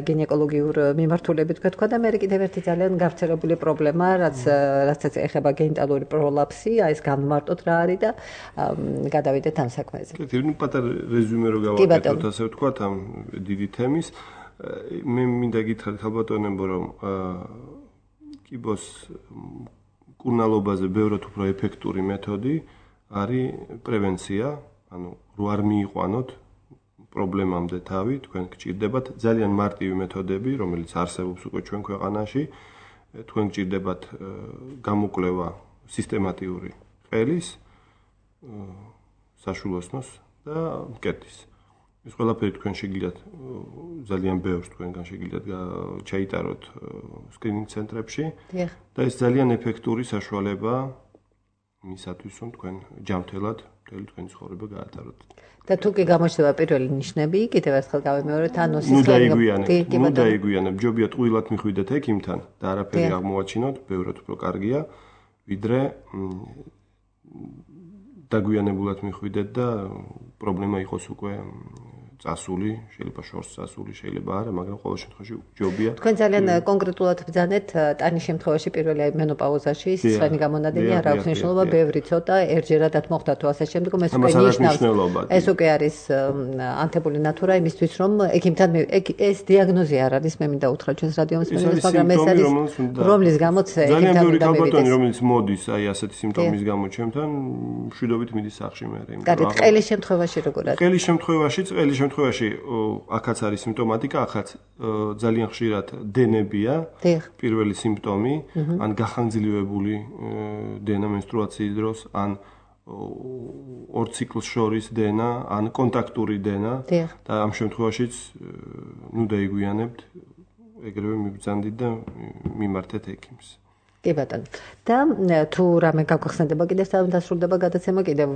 გინეკოლოგიურ მიმართულებით თქვა და მე კიდევ ერთი ძალიან გავრცელებული პრობლემა, რაც რაცაც ეხება გენიტალური პროლაფსი, აი ეს განმარტოთ რა არის და გადავიდეთ ამ საქმეზე. კი, ნუ პატარა რეზუმე რო გავაკეთოთ, ასე ვთქვათ, ამ დიდი თემის. მე მინდა გითხრათ ხალბატონებო, რომ კიბოს კურნალობაზე ბევრად უფრო ეფექტური მეთოდი არის პრევენცია, ანუ რო არ მიიყვანოთ პრობლემამდე თავი, თქვენ გჭირდებათ ძალიან მარტივი მეთოდები, რომელიც არსებობს უკვე ჩვენ ქვეყანაში, თქვენ გჭირდებათ გამოკვლევა სისტემატიური ყელის, საშვილოსნოს და მკერდის. ეს ყველაფერი თქვენ შეგიძლიათ ძალიან ბევრს თქვენგან შეგიძლიათ ჩაიტაროთ სკრინინგ ცენტრებში და ეს ძალიან ეფექტური საშუალებაა იმისათვის, რომ თქვენ ჯანმრთელად მთელი თქვენი ცხოვრება გაატაროთ. და თუ კი გამოჩნდება პირველი ნიშნები, კიდევ ერთხელ გავიმეორეთ, ანუ სისხლიანი ნუ დაიგვიანებ, ჯობია ტყუილად მიხვიდეთ ექიმთან და არაფერი აღმოაჩინოთ, ბევრად უფრო კარგია, ვიდრე დაგვიანებულად მიხვიდეთ და პრობლემა იყოს უკვე წასული, შეიძლება შორს წასული, შეიძლება არა, მაგრამ ყოველ შემთხვევაში ჯობია. თქვენ ძალიან კონკრეტულად ბრძანეთ ტანის შემთხვევაში პირველი მენოპაუზაში, სისხლიანი გამონადენი არ აქვს მნიშვნელობა, ბევრი ცოტა, ერთჯერადად მოხდა თუ ასე შემდგომ, ეს უკვე ნიშნავს. ეს უკვე არის ანთებული ნატურა იმისთვის, რომ ექიმთან ეს დიაგნოზი არ არის, მე მინდა უთხრა ჩვენს რადიომსმენელს, მაგრამ ეს არის რომლის გამოც ექიმთან უნდა მივიდეს. რომელიც მოდის, აი ასეთი სიმპტომის გამო ჩემთან, მშვიდობით მიდის სახლში მე. კარგი, ყელის შემთხვევაში როგორ არის? ყელის შემთხვევაში, ყელის შემთხვევაში აქაც არის სიმპტომატიკა, ახაც ძალიან ხშირად დენებია, პირველი სიმპტომი, ან გახანგრძლივებული დენა менსტრუაციის დროს, ან ორ ციკლს შორის დენა, ან კონტაქტური დენა და ამ შემთხვევაშიც ნუ დაიგვიანებთ, ეგრევე მიბრძანდით და მიმართეთ ექიმს. კი ბატონო. და თუ რამე გაგვახსენდება კიდევ დასრულდება გადაცემა, კიდევ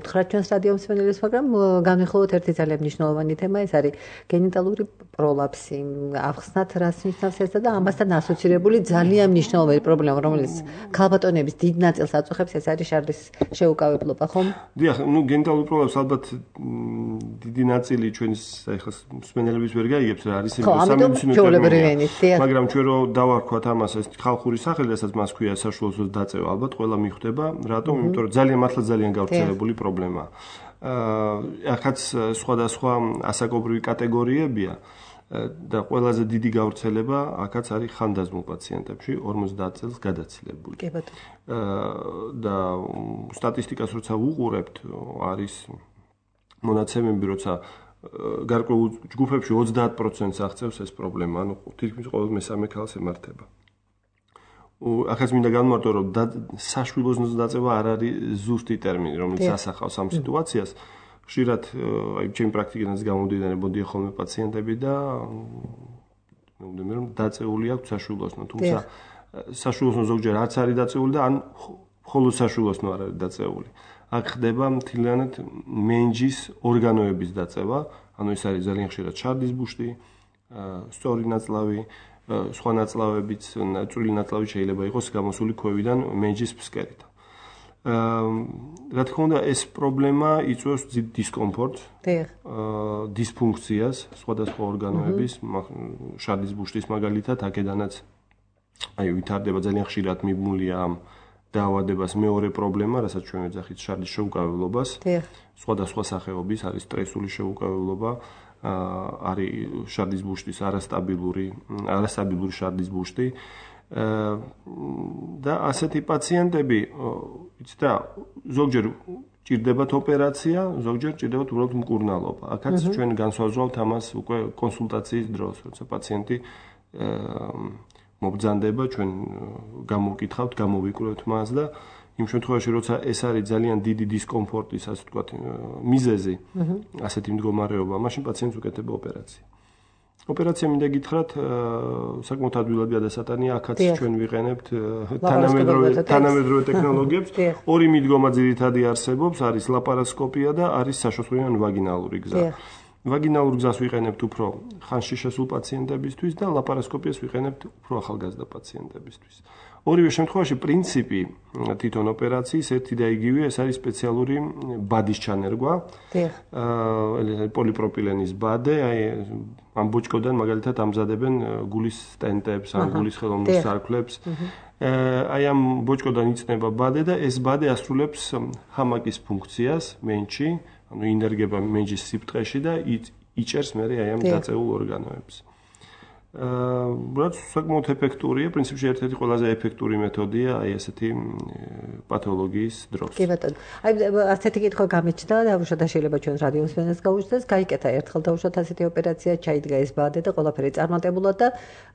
უთხრათ ჩვენს რადიომსმენელს, მაგრამ განვიხილოთ ერთი ძალიან მნიშვნელოვანი თემა, ეს არის გენიტალური პროლაფსი. ახსნათ რას ნიშნავს ეს და ამასთან ასოცირებული ძალიან მნიშვნელოვანი პრობლემა, რომელიც ქალბატონების დიდ ნაწილს აწუხებს, ეს არის შარდის შეუკავებლობა, ხომ? დიახ, ნუ გენიტალური პროლაფსი ალბათ დიდი ნაწილი ჩვენს ეხლა მსმენელების ვერ გაიგებს რა არის ეს სამედიცინო ტერმინი, მაგრამ ჩვენ რო დავარქვათ ამას ეს ხალხური სახელი, რასაც მას ქვია საშუალო დაწევა, ალბათ ყველა მიხვდება, რატომ? იმიტომ რომ ძალიან მართლა ძალიან გავრცელებული პრობლემაა. აა ახაც სხვადასხვა ასაკობრივი კატეგორიებია და ყველაზე დიდი გავრცელება აქაც არის ხანდაზმულ პაციენტებში, ორმოცდაათ წელს გადაცილებული. კი ბატონო. აა და სტატისტიკას როცა ვუყურებთ, არის მონაცემები, როცა გარკვეულ ჯგუფებში ოცდაათ პროცენტს აღწევს ეს პრობლემა, ანუ თითქმის ყოველ მესამე ქალს ემართება. ახაც მინდა განმარტო, რომ საშვილოსნოს დაწევა არ არის ზუსტი ტერმინი, რომელიც ასახავს ამ სიტუაციას. ხშირად აი ჩემი პრაქტიკიდან გამომდინარე მოდიან ხოლმე პაციენტები და მეგონი რომ დაწეული აქვს საშვილოსნო, თუმცა საშვილოსნო ზოგჯერ არც არის დაწეული და ან მხოლოდ საშვილოსნო არ არის დაწეული. აქ ხდება მთლიანად მენჯის ორგანოების დაწევა, ანუ ეს არის ძალიან ხშირად შარდის ბუშტი, სწორი ნაწლავი, სხვა ნაწლავებიც, წვრილი ნაწლავი შეიძლება იყოს გამოსული ქვევიდან მენჯის ფსკერით. რა თქმა უნდა, ეს პრობლემა იწვევს დიდ დისკომფორტს, დისფუნქციას სხვადასხვა ორგანოების, შარდის ბუშტის მაგალითად, აქედანაც აი ვითარდება ძალიან ხშირად მიბმულია ამ დაავადებას მეორე პრობლემა, რასაც ჩვენ ვეძახით შარდის შეუკავებლობას. სხვადასხვა სახეობის არის სტრესული შეუკავებლობა, არის შარდის ბუშტის არასტაბილური, არასტაბილური შარდის ბუშტი. და ასეთი პაციენტები, იცით რა, ზოგჯერ ჭირდებათ ოპერაცია, ზოგჯერ ჭირდებათ უბრალოდ მკურნალობა. აქაც ჩვენ განსაზღვრავთ ამას უკვე კონსულტაციის დროს, როცა პაციენტი მობრძანდება, ჩვენ გამოვკითხავთ, გამოვიკვლევთ მას და იმ შემთხვევაში, როცა ეს არის ძალიან დიდი დისკომფორტის, ასე ვთქვათ, მიზეზი, ასეთი მდგომარეობა, მაშინ პაციენტს უკეთება ოპერაცია. ოპერაცია მინდა გითხრათ, საკმაოდ ადვილად გადასატანია, აქაც ჩვენ ვიყენებთ თანამედროვე თანამედროვე ტექნოლოგიებს. ორი მიდგომა ძირითადი არსებობს, არის ლაპარასკოპია და არის საშოსვლიანი ვაგინალური გზა. ვაგინალურ გზას ვიყენებთ უფრო ხანში შესულ პაციენტებისთვის და ლაპარასკოპიას ვიყენებთ უფრო ახალგაზრდა პაციენტებისთვის. ორივე შემთხვევაში პრინციპი თვითონ ოპერაციის ერთი და იგივეა, ეს არის სპეციალური ბადის ჩანერგვა. აა პოლიპროპილენის ბადე, აი ამ ბოჭკოდან მაგალითად ამზადებენ გულის სტენტებს, ან გულის ხელოვნურ სარქლებს. აი ამ ბოჭკოდან იწნება ბადე და ეს ბადე ასრულებს ჰამაკის ფუნქციას მენჩი, ანუ ინერგება მენჯის სიბრტყეში და იჭერს მერე აი ამ დაწეულ ორგანოებს. აა რაც საკმაოდ ეფექტურია, პრინციპში ერთ-ერთი ყველაზე ეფექტური მეთოდია აი ესეთი პათოლოგიის დროს. კი ბატონო. აი ასეთი კითხვა გამიჩნდა და უშუალოდ შეიძლება ჩვენ რადიო მსმენელს გაუჩნდეს, გაიკეთა ერთხელ და უშუალოდ ასეთი ოპერაცია ჩაიდგა ეს ბადე და ყველაფერი წარმატებულად და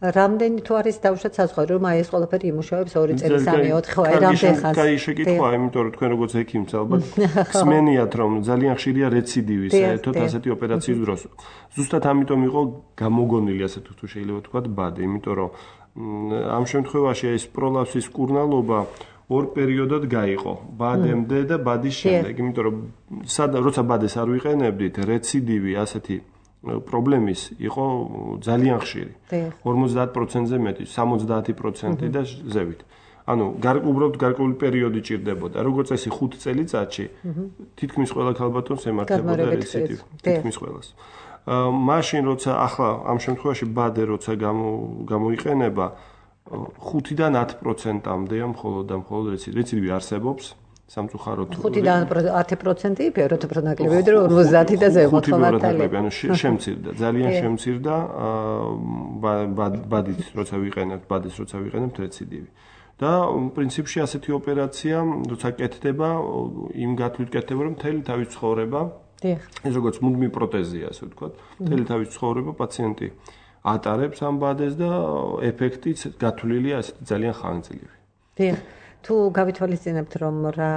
რამდენი თუ არის დაუშვათ საზღვარი, რომ აი ეს ყველაფერი იმუშავებს ორი წელი, სამი, ოთხი, ხო, აი რამდენი ხანს. კაი შეკითხვა, იმიტომ რომ თქვენ როგორც ექიმს ალბათ ხსმენიათ, რომ ძალიან ხშირია რეციდივი საერთოდ ასეთი ოპერაციის დროს. ზუსტად ამიტომ იყო გამოგონილი ასე თუ შეიძლება ვთქვათ ბადე, იმიტომ რომ ამ შემთხვევაში ეს პროლაფსის კურნალობა ორ პერიოდად გაიყო, ბადემდე და ბადის შემდეგ, იმიტომ რომ სადა როცა ბადეს არ ვიყენებდით, რეციდივი ასეთი პრობლემის იყო ძალიან ხშირი. ორმოცდაათ პროცენტზე მეტი, სამოცდაათი პროცენტი და ზევით. ანუ უბრალოდ გარკვეული პერიოდი ჭირდებოდა. როგორც წესი ხუთ წელიწადში თითქმის ყველა ქალბატონს ემართებოდა რეციდივი, თითქმის ყველას. მაშინ როცა ახლა ამ შემთხვევაში ბადე როცა გამოიყენება ხუთიდან ათ პროცენტამდე მხოლოდ და მხოლოდ რეციდივი არსებობს სამწუხაროდ ხუთიდან ათი პროცენტი ფეროთ უფრო ნაკლები ვიდრე ორმოცდაათი და ზემოთ ხომართალი ანუ შემცირდა ძალიან შემცირდა ბადით როცა ვიყენებთ ბადის როცა ვიყენებთ რეციდივი და პრინციპში ასეთი ოპერაცია როცა კეთდება იმ გათვლით კეთდება რომ მთელი თავის ცხოვრება ეს როგორც მუდმივი პროტეზია, ასე ვთქვათ, მთელი თავის ცხოვრება პაციენტი ატარებს ამ ბადეს და ეფექტიც გათვლილია ასეთი ძალიან ხანგრძლივი. დიახ. თუ გავითვალისწინებთ, რომ რა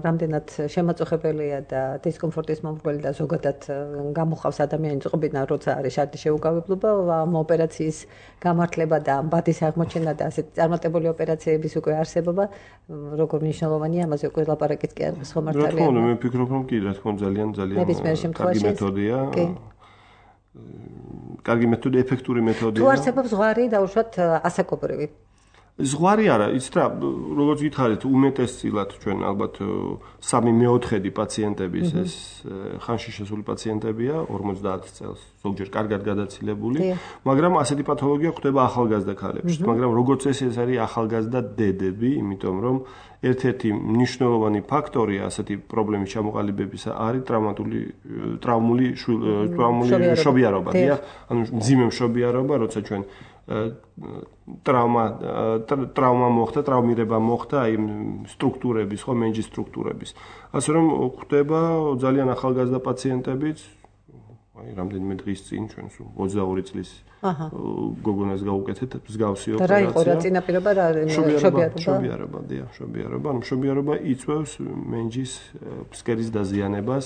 რამდენად შემაწუხებელია და დისკომფორტის მომრგველი და ზოგადად გამოხავს ადამიანის წყობიდან, როცა არის შარდის შეუკავებლობა, ამ ოპერაციის გამართლება და ბადის აღმოჩენა და ასეთი წარმატებული ოპერაციების უკვე არსებობა, როგორ მნიშვნელოვანია, ამაზე უკვე ლაპარაკიც კი არის ხომ მართალია. რა თქმა უნდა, მე ვფიქრობ, რომ კი, რა თქმა უნდა, ძალიან ძალიან კარგი მეთოდია. კარგი მეთოდი, ეფექტური მეთოდია. თუ არსებობს ზღვარი დაუშვათ ასაკობრივი ზღვარი არა, იცით რა, როგორც გითხარით, უმეტესწილად ჩვენ ალბათ სამი მეოთხედი პაციენტების ეს ხანში შესული პაციენტებია, ორმოცდაათ წელს, ზოგჯერ კარგად გადაცილებული, მაგრამ ასეთი პათოლოგია ხდება ახალგაზრდა ქალებშიც, მაგრამ როგორც ეს ეს არის ახალგაზრდა დედები, იმიტომ რომ ერთ-ერთი მნიშვნელოვანი ფაქტორია ასეთი პრობლემის ჩამოყალიბებისა არის ტრავმატული ტრავმული ტრავმული მშობიარობა, დიახ, ანუ მძიმე მშობიარობა, როცა ჩვენ ტრავმა ტრავმა მოხდა, ტრავმირება მოხდა აი სტრუქტურების, ხო, მენჯის სტრუქტურების. ასე რომ ხდება ძალიან ახალგაზრდა პაციენტებიც, აი რამდენიმე დღის წინ ჩვენ სულ ოცდაორი წლის გოგონას გავუკეთეთ მსგავსი ოპერაცია. და რა იყო რა წინაპირობა რა მშობიარობა? მშობიარობა, დიახ, მშობიარობა. ანუ მშობიარობა იწვევს მენჯის ფსკერის დაზიანებას,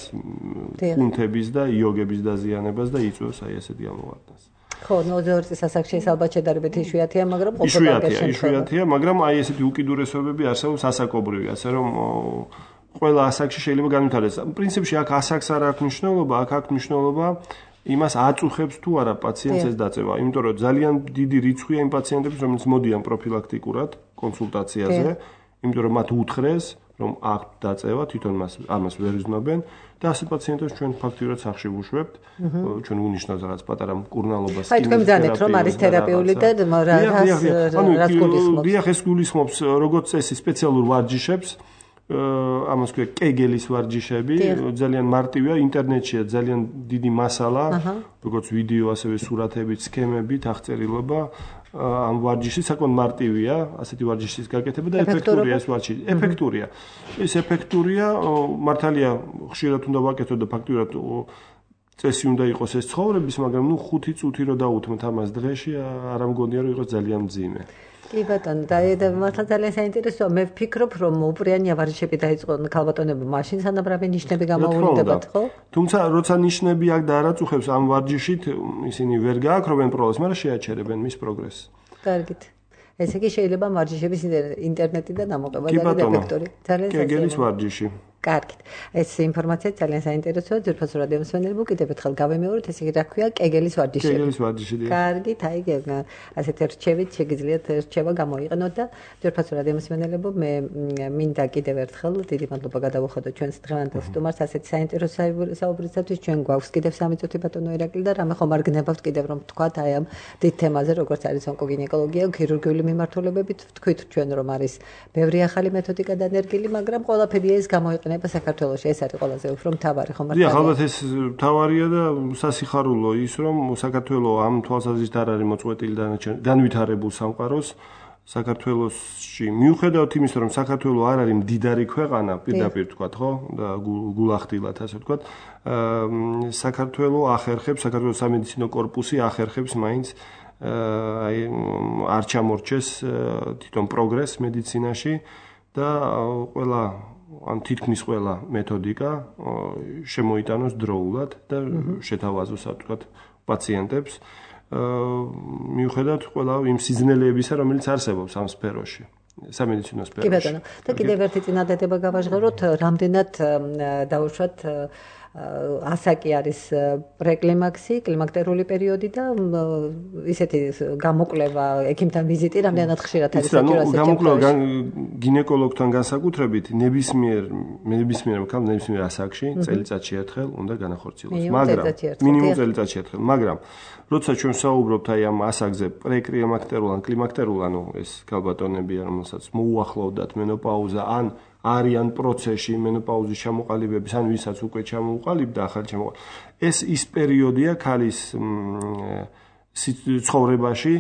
კუნთების და იოგების დაზიანებას და იწვევს აი ესეთ გამოვარდნას. ხო, ოცდაორი წლის ასაკში ეს ალბათ შედარებით იშვიათია, მაგრამ იშვიათია, იშვიათია, მაგრამ აი ესეთი უკიდურესობები არსებობს ასაკობრივი, ასე რომ ყველა ასაკში შეიძლება განვითარდეს. პრინციპში აქ ასაკს არ აქვს მნიშვნელობა, აქ აქვს მნიშვნელობა იმას აწუხებს თუ არა პაციენტს ეს დაწევა, იმიტომ რომ ძალიან დიდი რიცხვია იმ პაციენტების, რომლებიც მოდიან პროფილაქტიკურად კონსულტაციაზე, იმიტომ რომ მათ უთხრეს, რომ აქვთ დაწევა, თვითონ მას ამას ვერ იზნობენ და ასეთ პაციენტებს ჩვენ ფაქტიურად სახში ვუშვებთ, ჩვენ უნიშნავს რაღაც პატარა მკურნალობას. აი თქვენ მძანეთ რომ არის თერაპიული და რას რას გულისხმობს? დიახ, ეს გულისხმობს როგორც წესი სპეციალურ ვარჯიშებს, ამას ქვია კეგელის ვარჯიშები, ძალიან მარტივია, ინტერნეტშია ძალიან დიდი მასალა, როგორც ვიდეო, ასევე სურათებით, სქემებით, აღწერილობა ამ ვარჯიშის საკმაოდ მარტივია, ასეთი ვარჯიშის გაკეთება და ეფექტურია ეს ვარჯიში. ეფექტურია. ეს ეფექტურია, მართალია ხშირად უნდა ვაკეთო და ფაქტურად წესი უნდა იყოს ეს ცხოვრების, მაგრამ ნუ ხუთი წუთი რო დაუთმოთ ამას დღეში, არ ამგონია რომ იყოს ძალიან მძიმე. კი ბატონო, და მართლა ძალიან საინტერესოა. მე ვფიქრობ, რომ უპრიანი ვარჯიშები დაიწყო ქალბატონებმა მაშინ სანამ რავი ნიშნები გამოუვლიდებათ, ხო? თუმცა როცა ნიშნები აქ და არაწუხებს ამ ვარჯიშით, ისინი ვერ გააქრობენ პროგრესს, მაგრამ შეაჩერებენ მის პროგრესს. კარგით. ესე იგი შეიძლება ვარჯიშების ინტერნეტიდან ამოყება და ეფექტური. ძალიან საინტერესოა. კეგელის ვარჯიში. კარგით. ეს ინფორმაცია ძალიან საინტერესოა. ძვირფასო რადიო მსმენელებო, კიდევ ერთხელ გავემეორეთ, ესე იგი რა ქვია, კეგელის ვარჯიში. კეგელის ვარჯიში. კარგით, აი ასეთ რჩევით შეგიძლიათ რჩევა გამოიყენოთ და ძვირფასო რადიო მსმენელებო, მე მინდა კიდევ ერთხელ დიდი მადლობა გადავუხადოთ ჩვენს დღევანდელ სტუმარს ასეთ საინტერესო საუბრისათვის. ჩვენ გვაქვს კიდევ სამი წუთი ბატონო ირაკლი და რამე ხომ არ გნებავთ კიდევ რომ თქვათ აი ამ დიდ თემაზე, როგორც არის ონკოგინეკოლოგია, ქირურგიული მიმართულებებით. ვთქვით ჩვენ რომ არის ბევრი ახალი მეთოდიკა დანერგილი, მაგრამ ყველაფერი ეს გამოიყენება საქართველოში, ეს არის ყველაზე უფრო მთავარი, ხო მართალია? დიახ, ალბათ ეს მთავარია და სასიხარულო ის, რომ საქართველოს ამ თვალსაზრისით არ არის მოწყვეტილი დანარჩენ განვითარებულ სამყაროს. საქართველოში მიუხედავად იმისა, რომ საქართველოს არ არის მდიდარი ქვეყანა, პირდაპირ თქვათ, ხო? და გულახდილად, ასე თქვათ, საქართველოს ახერხებს, საქართველოს სამედიცინო კორპუსი ახერხებს მაინც აი არ ჩამორჩეს თვითონ პროგრესს მედიცინაში და ყველა ან თითქმის ყველა მეთოდიკა შემოიტანოს დროულად და შეთავაზოს, ასე ვთქვათ, პაციენტებს, მიუხედავად ყველა იმ სიზნელეებისა, რომელიც არსებობს ამ სფეროში, სამედიცინო სფეროში. კი ბატონო, და კიდევ ერთი წინადადება გავაჟღეროთ, რამდენად დაუშვათ ასაკი არის პრეკლიმაქსი, კლიმაქტერული პერიოდი და ისეთი გამოკვლევა, ექიმთან ვიზიტი რამდენად ხშირად არის საჭირო? გამოკვლევა გინეკოლოგთან განსაკუთრებით ნებისმიერ ნებისმიერ ქალ ნებისმიერ ასაკში წელიწადში ერთხელ უნდა განახორციელოს, მაგრამ მინიმუმ წელიწადში ერთხელ, მაგრამ როცა ჩვენ საუბრობთ აი ამ ასაკზე პრეკლიმაქტერულ ან კლიმაქტერულ, ანუ ეს ქალბატონები, რომელსაც მოუახლოვდათ მენოპაუზა ან არიან პროცესში მენოპაუზის ჩამოყალიბების, ან ვისაც უკვე ჩამოუყალიბდა ახალი ჩამოყალიბება. ეს ის პერიოდია ქალის ცხოვრებაში,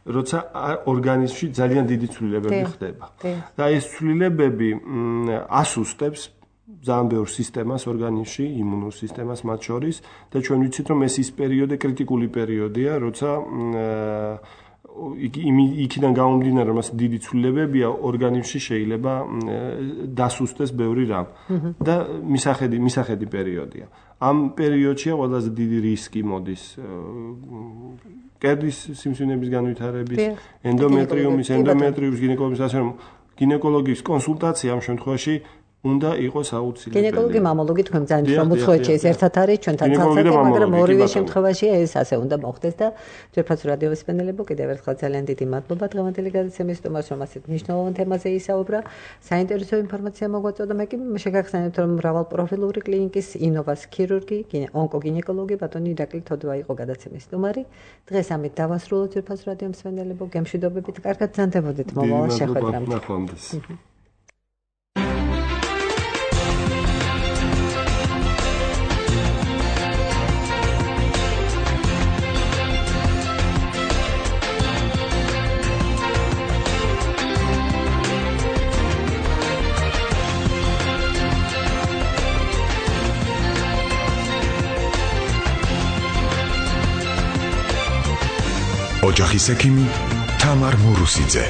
როცა ორგანიზმში ძალიან დიდი ცვლილებები ხდება. და ეს ცვლილებები ასუსტებს ძალიან ბევრ სისტემას ორგანიზმში, იმუნურ სისტემას მათ შორის და ჩვენ ვიცით, რომ ეს ის პერიოდი კრიტიკული პერიოდია, როცა იქიდან გამომდინარე, რომ ასე დიდი ცვლილებებია ორგანიზმში შეიძლება დასუსტეს ბევრი რამ და მისახედი მისახედი პერიოდია. ამ პერიოდშია ყველაზე დიდი რისკი მოდის კერდის სიმსივნეების განვითარების, ენდომეტრიუმის, ენდომეტრიუმის გინეკოლოგიის, ასე რომ გინეკოლოგიის კონსულტაცია ამ შემთხვევაში უნდა იყოს აუცილებელი. გინეკოლოგი, მამოლოგი თქვენ ძალიან რომ უცხოეთში ეს ერთად არის, ჩვენთან ცალსახე, მაგრამ ორივე შემთხვევაში ეს ასე უნდა მოხდეს და ძვირფასო რადიო მსმენელებო, კიდევ ერთხელ ძალიან დიდი მადლობა დღევანდელი გადაცემის სტუმარს, რომ ასეთ მნიშვნელოვან თემაზე ისაუბრა. საინტერესო ინფორმაცია მოგვაწოდა, მე კი შეგახსენებთ, რომ მრავალპროფილური კლინიკის ინოვას ქირურგი, ონკოგინეკოლოგი ბატონი ირაკლი თოდვა იყო გადაცემის სტუმარი. დღეს ამით დავასრულოთ ძვირფასო რადიო მსმენელებო, გემშვიდობებით, კარგად ზანდებოდეთ მომავალ შეხვედრამდე. ოჯახის ექიმი თამარ მურუსიძე.